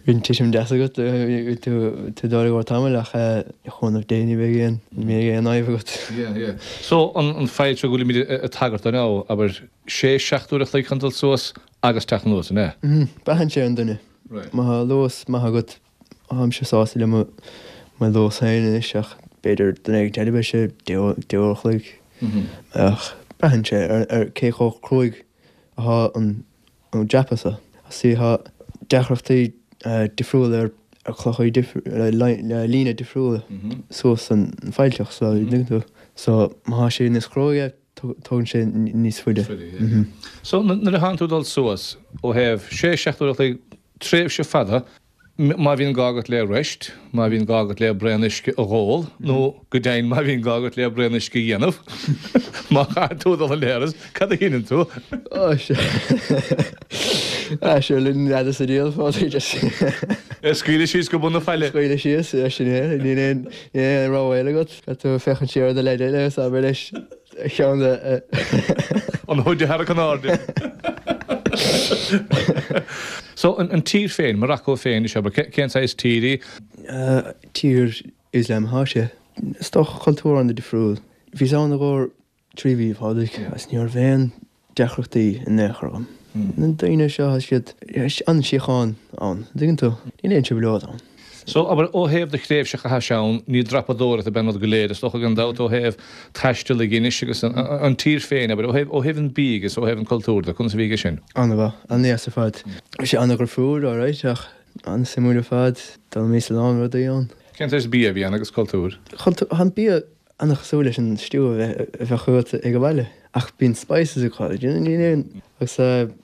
bíonn titim deas agat, bíonn tú, tú dul i gcomhair tamaill ach le cúnamh Dé ní bheidh aon, ní bheidh aon fhadhb agat. Yeah, yeah. So an, an fhaill seo go bhfuilimid ag tagairt dó now, abair, sé, seacht uair a chloig chun dul suas agus teacht anuas, an ea? Mm, braitheann sé ar an duine. Right. Má tá luas maith agat, táimse sásta le mo, mo luas féin anois ach b'fhéidir duine éigin eile beidh sé deich uair a chloig. Ach braitheann sé ar cé chomh cruaidh athá an dreapadh so. Sea, thá deacrachtaí difriúla ar chlochaí le líne difriúla suas an faillteach so, an dtuigeann tú? So, má thá sé níos cruaidhe, tógann sé níos faide. So, nuair a thánn tú ag dul suas ó thaobh sé, seacht uair a chloig, tréimhse fada, má bhíonn gá agat le rest, má bhíonn gá agat le braon uisce a dh'ól, nó go deimhin má bhíonn gá agat le braon uisce a dhéanamh, má chaithfidh tú dul an léaras, cad a dheineann tú? Ó, sea. Ah, sure, linn n'fheadar sa diabhal, Phádraig, just. É scaoileadh síos go bun na faille. Scaoileadh síos, yeah, sin é. Níl aon, níl aon rogha eile agat. Caithfidh tú féachaint siar ar do leaid eile agus abair leis a cheann a. An hood a tharrac in airde. So, an tír féin, Morocco féin, is abair, cén saghas tír í? Tír Ioslam athá sé. Is dócha cultúr an-difriúil. Bhíos ann i gcomhair trí mhí, a Phádraig, agus ní raibh aon deacrachtaí in aon chor agam. Na daoine seo, tá siad, an-síocháin ann, an dtuigeann tú? Níl aon trioblóid ann. So, abair, ó thaobh do thréimhse a chaithis ann, ní dreapadóireacht ab ea an rud go léir, is dócha, gan dabht, ó thaobh taisteal ag Inis agus an tír féin, abair, ó thaobh, ó thaobh an bídh agus ó thaobh an cultúir de, conas a bhí aige sin? An-mhaith, an-deas ar fad. Bhí sé an-dhifriúil, alright, ach an-suimiúil ar fad. D'fhoghlaimíos a lán rudaí ann. Cén saghas bia a bhí ann agus cultúr? Cultúr, tá an bia an-chosúil leis an stew a bheadh agat ag an bhaile ach bíonn spices acu, níl aon, agus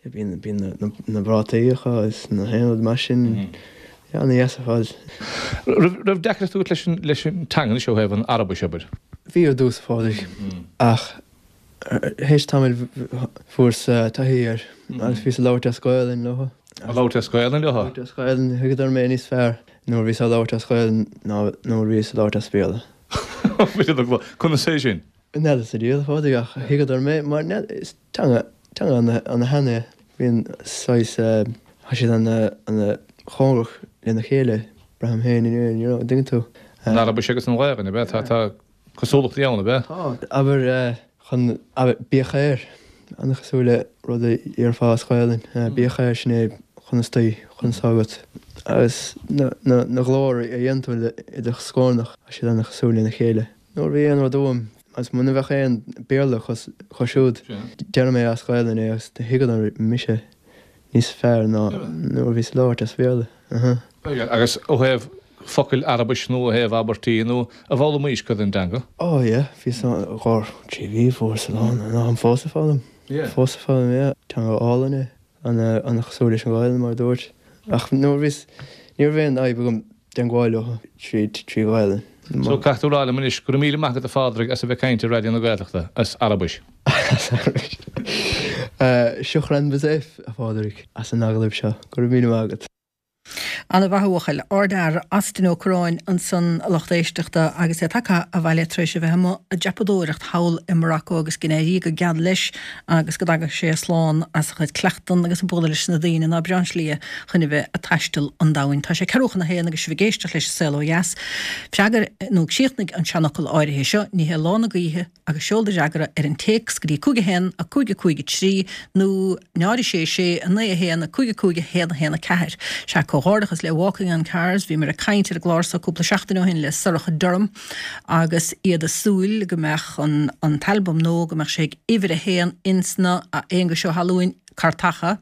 bíonn, bíonn na, na prátaí acu agus na haon rud mar sin, yeah, an-dheas ar fad. Raibh, raibh deacracht agat leis an, leis an teanga anois ó thaobh an Araibis, abair? Bhí ar dtús, a Phádraig, ach théis tamaill fuaireas taithí air agus bhíos ag labhairt as Gaolainn leo. Ag labhairt as Gaolainn leo? Ag labhairt as Gaolainn, thuigeadar mé níos fearr nuair a bhíos ag labhairt as Gaolainn ná nuair a bhíos ag labhairt as Béarla. Conas é sin? N'fheadar sa diabhal, a Phádraig, ach thuigeadar mé mar is teanga, teanga ana-shean é. Bíonn saghas, tá siad ana-chóngarach lena chéile, braithim féin, you know, an dtuigeann tú? An Araibis agus an Ghaelainn, ab ea? Tá, tá cosúlachtaí ann, ab ea? Tá. Abair, chun, abair, bí khair, an-chosúil le rud a déarfá as Gaelainn, bí khair, sin é conas taoi, conas tá agat. Agus na, na, na glóir a dhéanann tú le, i do scornach, tá siad an-chosúil lena chéile. Nuair a bhí aon rud uaim, agus muna bheadh aon Béarla acu siúd, deireadh mé as Gaelainn é agus thuigeadar mise níos fearr ná nuair a bhíos ag labhairt as Béarla. Uh-huh. Agus ó thaobh focail Araibis nó ó thaobh abairtí nó ar fhoghlaimís cuid den dteanga? Oh yeah, bhíos ann i gcomhair trí mhí, fuaireas a lán, táim fós ag foghlaim. Yeah. Fós ag foghlaim, yeah. Teanga álainn é. An-chosúil leis an Ghaelainn, mar a dúirt. Ach nuair a bhíos, ní raibh aon fhadhb agam teagmháil leo tríd, trí Ghaelainn. So caithfidh tú a rá liom anois, go raibh míle maith agat a Phádraig as a bheith ag caint ar Raidió na Gaeltachta, as Araibis. As Araibis. Shukran bzaf, a Phádraig, as an agallamh seo. Go raibh míle maith agat. Ana-mhaith a bhuachaill. Ardfhear, Austin Ó Curráin ansan a lucht éisteachta agus é tagtha abhaile tar éis a bheith amuigh ag dreapadóireacht thall i Morocco agus go n-éirí go geal leis agus go dtaga sé slán as a chuid cleachtan agus ag bualadh leis na daoine ná breán slí chun a bheith ag taisteal an domhain. Tá sé ceathrú chun a haon agus sibh ag éisteacht leis an Saol Ó Dheas. Freagair nó críochnaigh an seanfhocal áirithe seo, ní hé lá na gaoithe, agus seol do fhreagra ar an téacs go dtí cúig a haon a cúig a cúig a trí nó náid a sé sé a naoi a haon a cúig a cúig a haon a haon a ceathair. Sea, comhghairdeachas le Walking on Cars, bhíomar ag caint ar an gclár seo cúpla seachtain ó shin le Sorcha Durham agus iad ag súil go mbeadh an an t-albam nua, go mbeadh sé ag uimhir a haon ins na, a Aonghuis Ó hAlúin, cairteacha.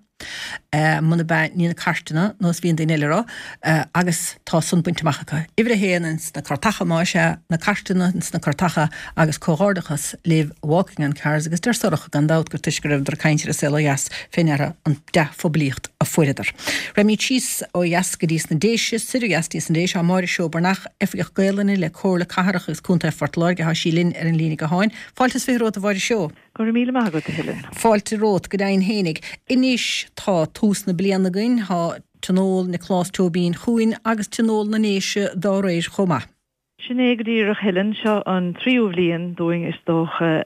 Muna bea ní na cairteanna nós bhíonn daoine eile a rá, agus tá san bainte amach acu. Uimhir a haon ins na cairteacha más ea, na cairteanna ins na cairteacha agus comhghairdeachas libh Walking on Cards agus deir Sorcha gan dabht gur toisc go rabhadar ag caint ar an Saol Ó Dheas fé ndeara an dea-phoiblíocht a fuaireadar. Raghaimid síos ó dheas go dtí sna Déise, soir ó dheas dtí sna Déise, tá Máire Seó Breathnach, Oifigeach Gaelainne le Comhairle Cathrach agus Contae Phort Láirge, tá sí linn ar an líne gutháin. Fáilte is fiche romhat a Mháire Seó. Go raibh míle maith agat, a Helen. Fáilte romhat, go deimhin fhéinig. Anois tá tús na bliana againn, tá Tionól Nioclás Tóibín chugainn agus Tionól na nDéise dá réir chomh maith. Sin é go díreach, Helen. Seo an tríú bhliain dúinn is dócha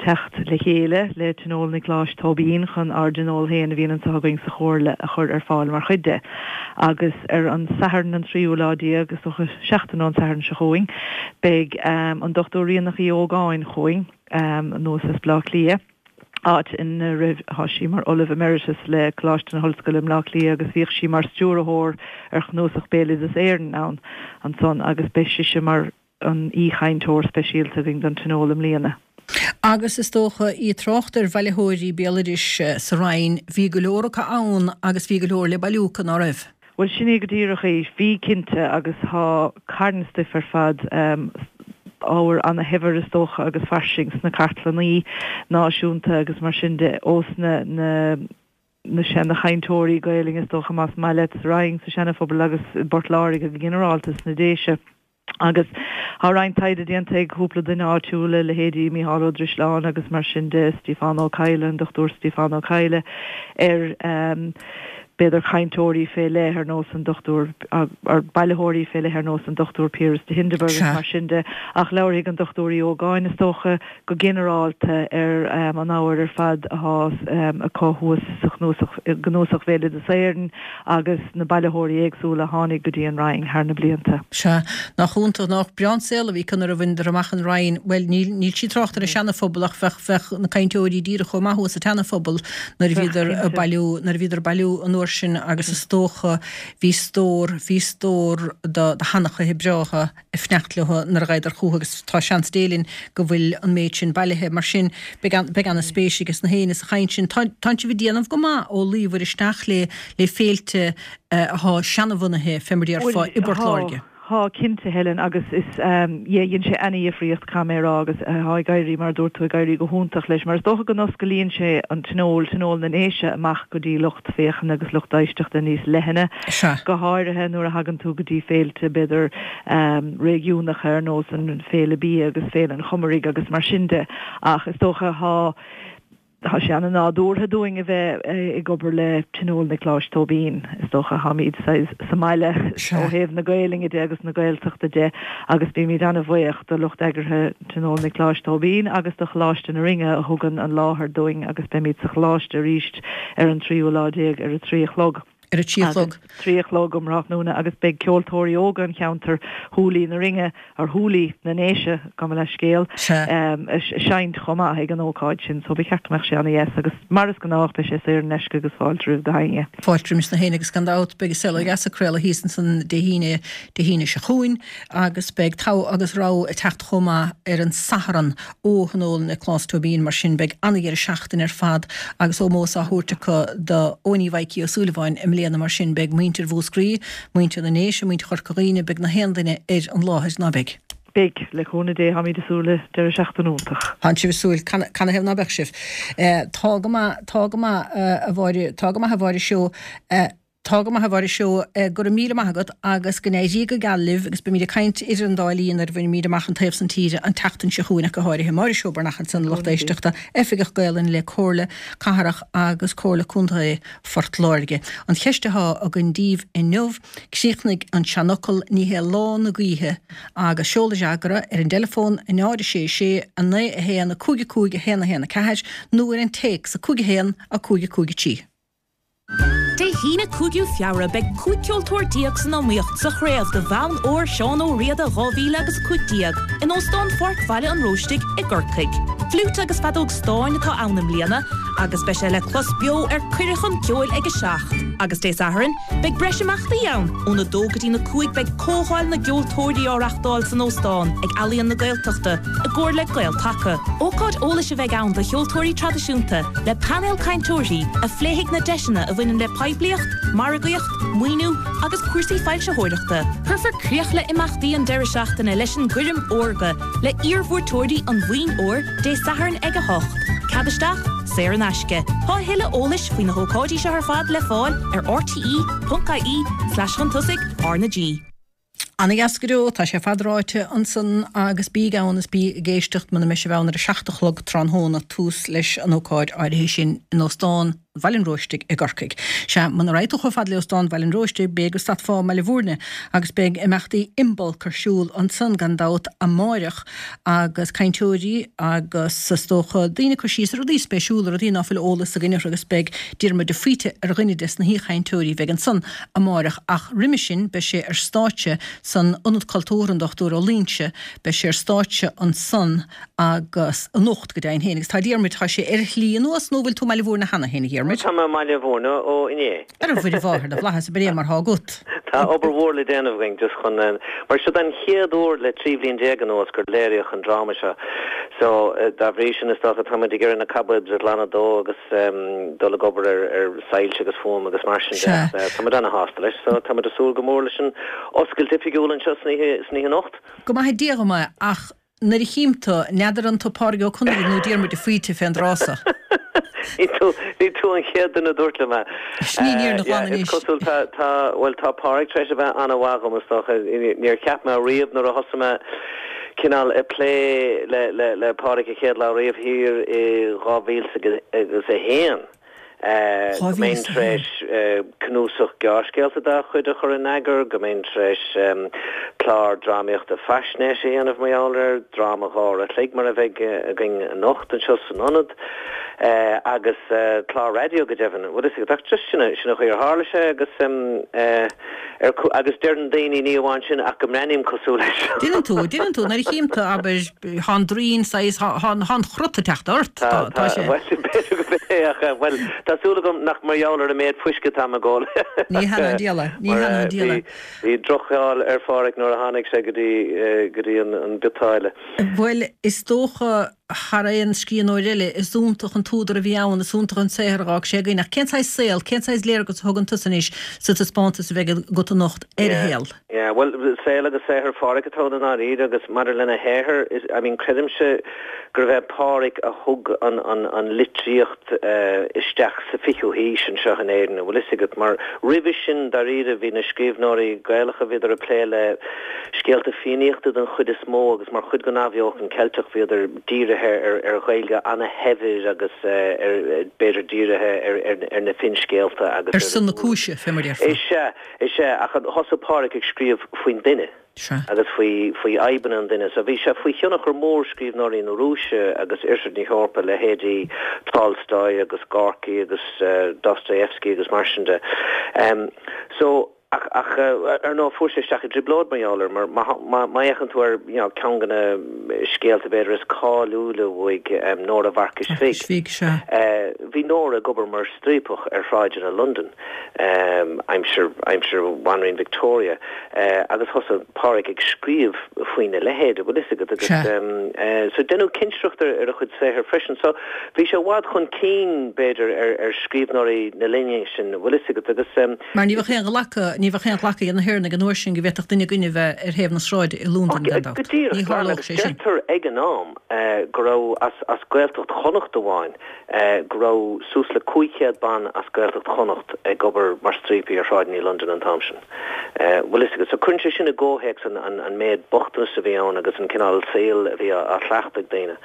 teacht le chéile le Tionól Niocláis Tóibín chun ár dtionól féin a bhíonn anseo againn sa Chomhairle a chur ar fáil mar chuid de. Agus ar an Satharn an tríú lá déag, is dócha seachtain ón Satharn seo chugainn, beidh an Dochtúir Ríonach Uí Ógáin chugainn anuas as Bleá Cliath. áit ina raibh tá sí mar Ollamh Emeritus le Coláiste na hOllscoile i mBleá Cliath agus bhíodh sí mar stiúrthóir ar Chnuasach Béaloideas Éireann ann ansan agus beidh sise mar an aoichainteoir speisialta againn don Tionól i mbliana. Agus is dócha, í ag trácht ar bhailitheoirí béaloidis sa Rinn, bhí go leor acu ann agus bhí go leor le bailiú acu, ná raibh? Bhuel, sin é go díreach é. Bhí, cinnte, agus tá carn stuif ar fad, ábhar ana-shaibhir is dócha agus fairsing sna cartlannaí náisiúnta agus mar sin de, ós na na na seana-chainteoirí Gaelainne is dócha, más maith leat, sa Rinn, sa Seana-Phobal agus i bPort Láirge go ginearálta, sna Déise. Agus tá roinnt taighde déanta ag cúpla duine áitiúla, leithéidí Mícheál Ó Drisleáin agus mar sin de, Stiofán Ó Cadhla, an Dochtúir Stiofán Ó Cadhla, ar b'fhéidir cainteoirí fé leith ar nós an Dochtúir, ar bailitheoirí fé leith ar nós an Dochtúir Piaras de Hindeberg agus mar sin de. Ach labharfaidh an Dochtúir Uí Ógáin, is dócha, go ginearálta ar an ábhar ar fad athá acu thuas sa chnuasach, i gCnuasach Bhéaloideas Éireann agus na bailitheoirí éagsúla a tháinig go dtí an Rinn thar na blianta. Sea. Nach iontach, nach breá an saol a bhí acu nuair a bhaineadar amach an Rinn. Bhuel, níl, níl sí ag trácht ar an Seana-Phobal ach bheadh, bheadh na cainteoirí díreach chomh maith thuas sa tSeana-Phobal nuair a bhíodar ag bailiú, nuair a bhíodar ag bailiú an uair sin agus is dócha bhí stór, bhí stór do, do sheanchaithe breátha ag fanacht leo nuair a ghabhadar chucu agus tá seans Dé linn go bhfuil an méid sin bailithe. Mar sin, beidh, beidh ana-spéis ages na héinne sa chaint sin. Tá, tánn sibh ag déanamh go maith ó luíobhair isteach le, le féilte athá seanabhunaithe fé mar déarfá i bPort Láirge. Tá, cinnte, Helen, agus is, yeah, dhein sé ana-dhifríocht, caithfidh mé a rá, agus tá ag éirí, mar a dúirt tú, ag éirí go hiontach leis, mar is dócha go n-osclaíonn sé an tionól, Tionól na nDéise, amach go dtí lucht féachana agus lucht éisteachta níos leithne, go háirithe nuair a thagann tú go dtí féilte, b'fhéidir, réigiúnacha ar nós an Féile Bia agus Féile an Chomaraigh agus mar sin de, ach is dócha, tá. Tá sé ana-nádúrtha dúinn a bheith ag obair le Tionól Niocláis Tóibín, is dócha. Táimid saghas sa mbaile ó thaobh na Gaelainne de agus na Gaeltachta de agus bímid ana-bhuíoch do lucht eagraithe Tionól Niocláis Tóibín agus do Choláiste na Rinne a thugann an láthair dúinn agus beimid sa Choláiste arís ar an tríú lá déag ar a trí a chlog. Ar a trí a chlog. Trí a chlog um thráthnóna agus beidh ceoltóirí óga an cheantair, Húlaí na Rinne, or Húlaí na nDéise, gabh mo leithscéal, ag seinnt chomh maith ag an ócáid sin so ba cheart go mbeadh sé ana-dheas agus mar is gnách beidh sé saor in aisce agus fáilte roimh gach éinne. Fáilte roimis na héinne agus gan dabht beidh An Saol Ó Dheas ag craoladh thíos ansan Dé hAoine, Dé hAoine seo chugainn agus beidh Togha agus Rogha ag teacht chomh maith ar an Satharn ó Thionól Nioclás Tóibín mar sin beidh ana-dheireadh seachtaine ar fad agus ómós á thabhairt acu do Eoiní Mhaidhcí Ó Súilleabháin i mbliana mar sin beidh muintir Mhúscraí, muintir na nDéise, muintir Chorca Dhuibhne, beidh na haon duine ar an láthair, ná beidh? Beidh, le cúnamh Dé, táimid ag súil le deireadh seachtaine iontach. Tánn sibh ag súil, canathaobh ná beadh sibh? Tá go maith, tá go maith a Mháire, tá go maith a Mháire Seó, Tá go maith a Mháire Seó, go raibh míle maith agat agus go n-éirí go geal libh agus beimid ag caint idir an dá linn nuair a bhainimid amach an taobh san tíre an tseachtain seo chugainn ach go háirithe. Máire Seó Breathnach ansan a lucht éisteachta, Oifigeach Gaolainne le Comhairle Cathrach agus Comhairle Contae Phort Láirge. An cheist athá againn daoibh inniu, críochnaigh an seanfhocal ní hé lá na gaoithe agus seol do fhreagra ar an dteileafón a náid a sé sé a naoi a haon a cúig a cúig a haon a haon a ceathair nó ar an téacs a cúig a haon a cúig a cúig a trí. Dé hAoine cúigiú Feabhra beidh cúig ceoltóir déag san iomaíocht sa chraobh do Bhonn Óir Seán Ó Riada dhá mhíle agus a cúig déag in Óstán Pháirc Bhaile an Róistigh i gCorcaigh. Fliúit agus feadóg stáin atá ann i mbliana agus beidh sé le clos beo ar Cuireadh chun Ceoil ag a seacht. Agus Dé Sathairn, beidh breis imeachtaí ann óna dó go dtí a cúig beidh Comhdháil na gCeoltóirí á reáchtáil san óstán ag Ealaíon na Gaeltachta i gcomhar le Gael-Taca. Ócáid eolais a bheidh ann do cheoltóirí traidisiúnta le painéal cainteoirí a phléifidh na deiseanna a bhaineann le poiblíocht, margaíocht, maoiniú agus cúrsaí foilsitheoireachta. Cuirfear críoch le imeachtaí an deireadh seachtaine leis an gcoirm órga le hiarbhuaiteoirí an Bhoinn Óir Dé Sathairn ag a hocht. Cead isteach saor in aisce. Tá tuilleadh eolais faoi na hócáidí seo ar fad le fáil ar rte.ie slash chun tosaigh R na G. Ana-dheas go deo tá sé fadráite ansan agus bí ann is bí ag éisteacht muna mbeidh sibh ann ar a seacht a chlog tráthnóna tús leis an ócáid áirithe sin in Óstán Bhaile an Róistigh i gCorcaigh. Sea, muna raibh tú chomh fada le Óstán Bhaile an Róistigh b'fhéidir go stadfá i mBaile Bhúirne agus beidh imeachtaí Imbolc ar siúl ansan gan dabht amáireach agus cainteoirí agus is dócha daoine ag cur síos ar rudaí spéisiúla, rudaí ná fuil eolas againn orthu agus beidh Diarmuid de Faoite ar dhuine des na haoichainteoirí bheidh ansan amáireach ach roimhe sin beidh sé ar stáitse san Ionad Cultúrtha an Dochtúir Ó Loingsigh, beidh sé ar stáitse ansan agus anocht go deimhin féin agus tá Diarmuid, tá sé ar a shlí anuas nó bhfuil tú i mBaile Bhúirne cheana féin a Dhiarmuid? Tá mé i mBaile Bhúirne ó inné. Ar a Mhuire Mháthair na bhFlaitheas, ab é mar thá agat. Tá obair mhór le déanamh againn just chun, mar seo an chéad uair le trí bhliain déag anuas gur léiríodh an dráma seo. So dá bhrí sin is dócha táimid ag iarraidh na cobwebs a ghlanadh dó agus dul ag obair ar ar soilse agus fuaim agus mar sin de. Táimid ana-shásta leis so táimid ag súil go mór leis an oscailt oifigiúil anseo san oíche san oíche anocht. Go maithe Dia dhom é ach Nuair a chím tú, n'fheadar an tú Pádraig Ó Conaire nó Diarmuid de Faoite fén dtráth so. Ní tú, ní tú an chéad duine a dúirt liom é. Sin í an fhírinne ghlan Yeah, is anois. cosúil, tá, tá, bhuel, tá Pádraig tar éis a bheith an-mhaith dhom, is dócha. Níor cheap mé riamh nuair a thosaigh mé cineál ag plé le, le, le Pádraig an chéad lá riamh thiar i dhá mhíle agus a haon. go mbeinn tar éis cnuasach gearrscéalta dá chuid a chur in eagar, go mbeinn tar éis clár drámaíochta faisnéise a dhéanamh mar gheall air, dráma dhá uair a chloig mar a bheidh againn anocht anseo san Ionad, agus clár raidió go deimhin. Bhfuil fhios agat, ach just sin sin an chaoi ar tharla sé agus ar agus deireann daoine ní amháin sin ach go mbreathnaím cosúil leis. Déanann tú, déanann tú, nuair a chím tú, abair, thá an droim saghas, thá an chrot ag teacht ort, tá, tá sé. Bhuel, b'fhéidir go b'é ach, bhuel, tá súil agam nach mar gheall ar an méid fuisce atá ag ól. Ní hea ná an diabhal é, ní hea ná an diabhal é. Bhí droch-cháil ar Phádhraic nuair a tháinig sé go dtí, go dtí an biotáille. Bhuel, is dócha, thar aon scríbhneoir eile, is iontach an t-údar a bhí ann, is iontach an saothar a dh'fhág sé againn. Ach cén saghas saol, cén saghas léargas a thugann tusa anois sa taispeántas a bheidh agat anocht ar a shaol? Yeah, bhuel, saol agus saothar Phádhraic atá ann i ndáiríre agus maidir lena shaothar, is, I mean, creidimse gurbh é Pádhraic a thug an, an, an litríocht isteach sa fichiú haois anseo in Éirinn, an bhfuil fhios agat, mar roimhe sin, dáiríre, bhí na scríbhneoirí Gaelacha, bhíodar ag plé le scéalta Fiannaíochta den chuid is mó agus mar chuid den athbheochan Ceilteach bhíodar dírithe ar, ar Ghaeilge ana-shaibhir agus ar, b'fhéidir dírithe ar, ar, ar na finscéalta agus ar son na cúise, fé mar a déarfá. Is ea, is ea, ach thosaigh Pádhraic ag scríobh faoin duine. agus faoi faoi fhadhbanna an duine. So bhí sé faoi thionchar mór scríbhneoirí na Rúise agus Oirthear na hEorpa, leithéidí Tolstoy agus Gorky agus Dostoevsky agus mar sin de. So ach ach ar ndóigh fuair sé isteach i dtrioblóid mar gheall air mar má má fhéachann tú ar you know ceann de na scéalta b'fhéidir is cáiliúla uaidh, Nóra Mharcais Bhig. Bhig, sea. Bhí Nóra ag obair mar striapach ar shráideanna Londan. aimsir aimsir Bhanríon Victoria agus thosaigh Pádhraic ag scríobh faoina leithéid, an bhfuil fhios agat, agus so deineadh cinsireacht ar a chuid saothair freisin. So bhí sé i bhfad chun cinn, b'fhéidir, ar ar scríbhneoirí na linne sin, an bhfuil fhios agat, agus. Mar ní bheadh aon ghlacadh, ní bheadh aon ghlacadh ag na hÉireannaigh an uair sin go bhféadfadh duine againne a bheith ar thaobh na sráide i Londain, gan dabht. Go díreach, Ní glan, tharlódh agus sé sin. deirtear ag an am go raibh as as Gaeltacht Chonnacht amháin, go raibh suas le cúig chéad ban as Gaeltacht Chonnacht ag obair mar striapaí ar shráideanna Londain an t-am sin. Bhfuil fhios agat. So cuireann sé sin i gcomhthéacs an an méid bochtanais a bhí ann agus an cineál saoil a bhí á chleachtadh ag daoine,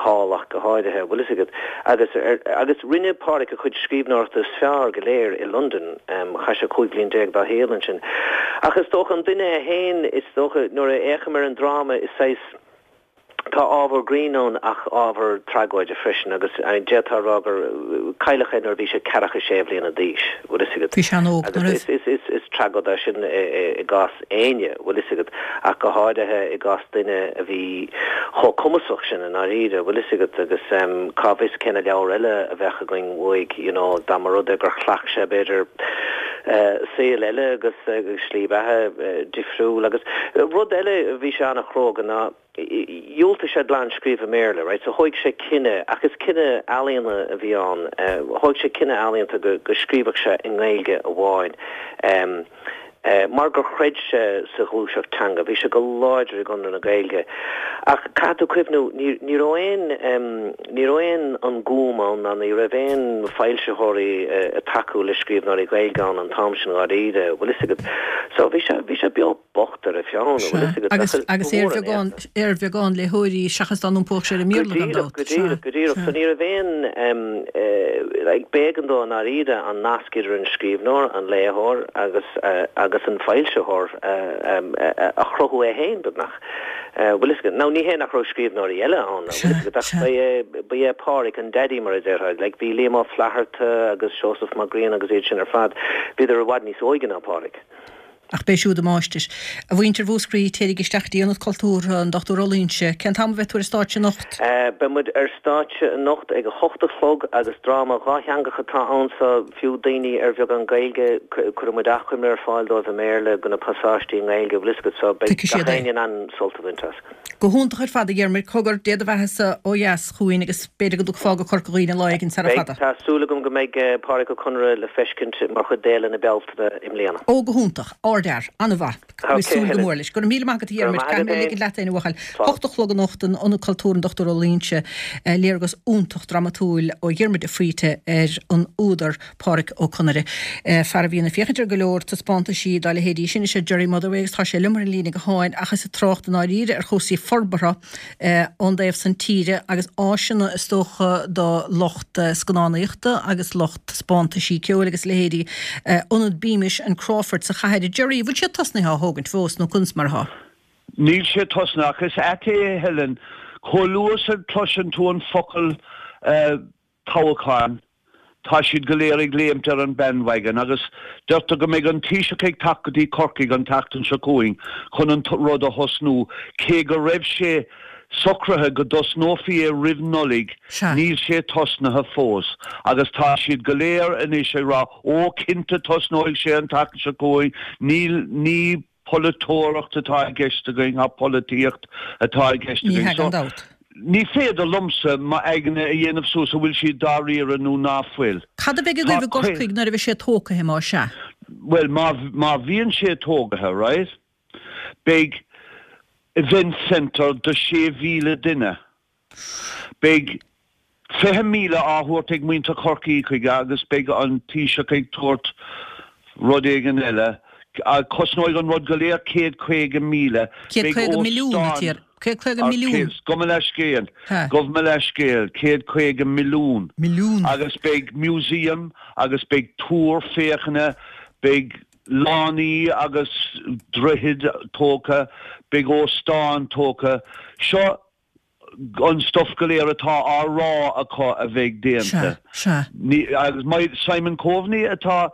thall ach go háirithe, bhfuil fhios agat. Agus agus rinne Pádhraic a chuid scríbhneoireachta is fearr go léir i Londain. Chaith sé cúig bliain déag dá shaol ansin. Ach is dócha an duine é féin, is dócha nuair a fhéachaim ar an dráma is saghas, Tá ábhar grinn ann ach ábhar tragóide freisin agus d'fhéadfá a rá gur cailleadh é nuair a bhí sé ceathracha sé bhliana d'aois, bhfuil fhios agat. Bhí sé an-óg, Agus is, is, is, is tragóid é sin i gcás éinne, bhfuil fhios agat, ach go háirithe i gcás duine a bhí chomh cumasach sin i ndáiríre, bhfuil fhios agat, agus cá bhfios cé na leabhair eile a bheadh againn uaidh, you know, dá mba rud é gur chleacht sé b'fhéidir saol eile agus slí beatha difriúil agus rud eile a bhí sé an-chróga ná dhiúltaigh sé glan scríobh i mBéarla, right, so thóig sé cinneadh, ach is cinneadh ealaíona a bhí ann, thóig sé cinneadh ealaíonta go go scríobhadh sé i nGaeilge amháin mar gur chreid sé sa ghluaiseacht teanga, bhí sé go láidir i gConradh na Gaeilge. Ach caithfidh tú cuimhniú, ní ní raibh aon ní raibh aon an Gúm ann ná ní raibh aon foilsitheoirí ag tacú le scríbhneoirí Gaeilge ann an t-am sin dháiríre, bhfuil fhios agat. So bhí sé bhí sé beo bocht ar a pheann, bhfuil fhios agat. Agus agus ar bheagán ar bheagán léitheoirí seachas dá n-iompódh sé ar an Go mBéarla gan díreach, dabht. go Sea, díreach, go díreach. sea. So ní raibh aon like b'éigean dó i ndáiríre an nasc idir an scríbhneoir, an léitheoir agus agus an foilsitheoir a chruthú é féin beagnach. Bhfuil fhios agat. Now ní hé nach raibh scríbhneoirí eile ann, bhfuil fhios agat, ach Sea, ba sea. é ba é Pádraic an daddy mar a déarfá. Like bhí Liam Ó Flaithearta agus Seosamh Mac Grianna agus iad sin ar fad, bhíodar i bhfad níos óige ná Pádraic. Ach b'é siúd a máistir. A mhuintir Mhúscraí, téirígí isteach dtí Ionad Cultúrtha an Dochtúir Ó Loingsigh. Cén t-am a bheidh tú ar stáitse anocht? Beidh muid ar stáitse anocht ag a hocht a chlog agus dráma dhátheangach atá ann so fiú daoine ar bheagán Gaeilge cuirfidh muid achoimre ar fáil dóibh i mBéarla de na pasáistí i nGaeilge, bhfuil fhios agat, so beidh Tuigfidh gach siad é. éinne in ann sult a bhaint as. Go hiontach ar fad, a Dhiarmuid. Cogar, Dé do bheatha-sa ó dheas chugainn agus b'fhéidir go dtiocfá go Corca Dhuibhne lá éigin sara Beidh, fada. tá súil agam go mbeidh Pádraic Ó Conaire le feiscint mar chuid d'Fhéile na Bealtaine i mbliana. Ó, go hiontach. Ardfhear. An-mhaith. Tá Ok, súil go Helen. mór leis. Go raibh míle maith agat, a Go raibh Dhiarmuid. maith Caithfidh agat mé féin. ligint leat féin, a bhuachaill. Slán. Hocht a chlog anocht in Ionad Cultúrtha an Dochtúir Ó Loingsigh, léargas iontach dramatúil ó Dhiarmuid de Faoite ar an údar Pádraic Ó Conaire. Fear a bhíonn ag féachaint ar go leor taispeántaisí dá leithéidí sin is ea Gerry Motherway agus tá sé liom ar an líne gutháin ach is ag trácht i ndáiríre ar chúrsaí forbartha ón dtaobh san tíre agus áiseanna is dócha do lucht scannánaíochta agus lucht taispeántaisí ceoil agus leithéidí Ionad Beamish and Crawford sa chathair. Gerry, bhfuil sé tosnaithe á thógaint fós nó conas mar atá? Níl sé tosnaithe ach is ait é Helen, chomh luath is a chloiseann tú an focal toghchán, tá siad go léir ag léimt ar an bandwagon agus deirtear go mbeidh an Taoiseach ag teacht go dtí Corcaigh an tseachtain seo chugainn chun an rud a thosnú. Cé go raibh sé socraithe go dtosnófaí é roimh Nollaig, níl sé tosnaithe fós agus tá siad go léir anois ag rá ó cinnte tosnóidh sé an tseachtain seo chugainn, níl, ní polaiteoireacht atá i gceist againn, tá polaitíocht atá i gceist Ní againn. hea So, gan dabht. ní féidir liomsa m'aigne a dhéanamh suas an bhfuil siad dáiríre nó ná fuil. Cad a bheidh Tá agaibh i gCorcaigh nuair a bheidh sé tógtha más ea? Bhuel, má, má bhíonn sé tógaithe, right, beidh event centre do sé mhíle duine. Beidh fiche míle á thabhairt ag muintir Chorcaí chuige agus beidh an Taoiseach ag tabhairt rud éigin eile. Cosnóidh an rud go léir céad caoga míle. Céad Beidh caoga milliún, a óstán Thiar. Céad caoga Ar milliún. céad, gabh mo leithscéal, Ha. gabh mo leithscéal, céad caoga milliún. Milliún. Agus beidh museum agus beidh túr féachana, beidh lánaí agus droichid tógtha, beidh óstán tógtha. Seo an stuff go léir atá á rá acu a bheidh déanta. Sea, sea. Ní, agus my, Simon Coveney atá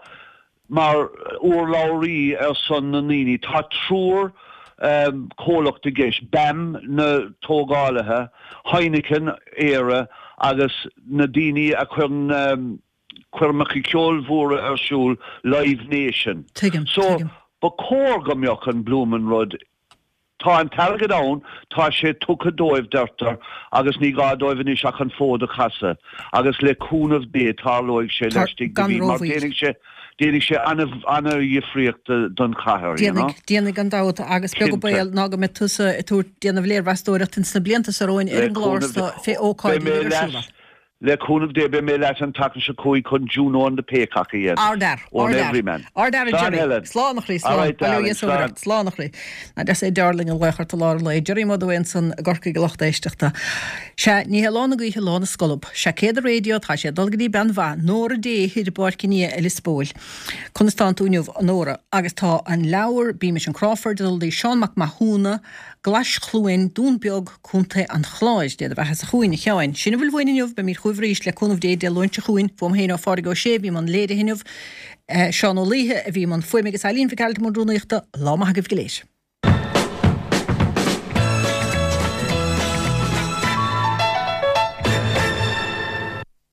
mar urlabhraí ar son na ndaoine. Tá triúr um, comhlacht i gceist, BAM na tógálaithe, Heineken Éire agus na daoine a chuireann um, coirmeacha ceoil mhóra ar siúl Live Nation. Tuigim, So tuigim. ba chóir go mbeadh an bloomin' rud Tá an t-airgead ann, tá sé tugtha dóibh, deirtear, agus ní gá dóibh anois ach an fód a chasadh, agus le cúnamh Dé tarlóidh sé Tar, laistigh de gan mhí, mar rómhoill. déanfaidh sé, déanfaidh sé ana-dhifríocht don chathair, you know. Déanfaidh, déanfaidh gan dabht, agus beag an Cinnte. baol ná go mbeidh tusa ag tabhairt, déanamh léirmheastóireacht ins na blianta seo romhainn ar Le an gclár cúnamh so Dé, fé beidh ócáidí mé a bheidh ar leat, siúl ann. le cúnamh Dé, beidh mé leat an tseachtain seo chugainn chun Juno and the Paycock a dhéanamh. Ardfhear, Ón ardfhear. Everyman. Ardfhear a Slán Gerry. Helen. Slán a chroí, All slán. right, Bail ó darling, Dhia is ó slán. Mhuire. Slán a chroí. Nach deas é Darling a ghlaoch ort i lár an lae. Gerry Motherway ansan i gCorcaigh a lucht éisteachta. Sea, ní hé lá na gaoithe lá na scolb. Sea, céad a raidió, tá sé ag dul go dtí bean mhaith, Nóra Day thoir i bPáirc an Fhia i Lios Póil. Conas tánn tú inniu, a Nóra? Agus tá an leabhar Beamish and Crawford ag dul dtí Seán Mac Mathúna, Glais Chluain, Dún Beag, Contae an Chláir. Dé do bheatha-sa chugainn, a Sheáin. Sin a bhfuil uainn inniu, beimid chugaibh arís le cúnamh Dé Dé Luain seo chugainn. Uaim féin ó Phádraig Ó Sé a bhí i mbun léirithe inniu, Seán Ó Laoithe a bhí i mbun fuaime agus Eileen Mhic Airt i mbun rúnaíochta. Lá maith agaibh go léir.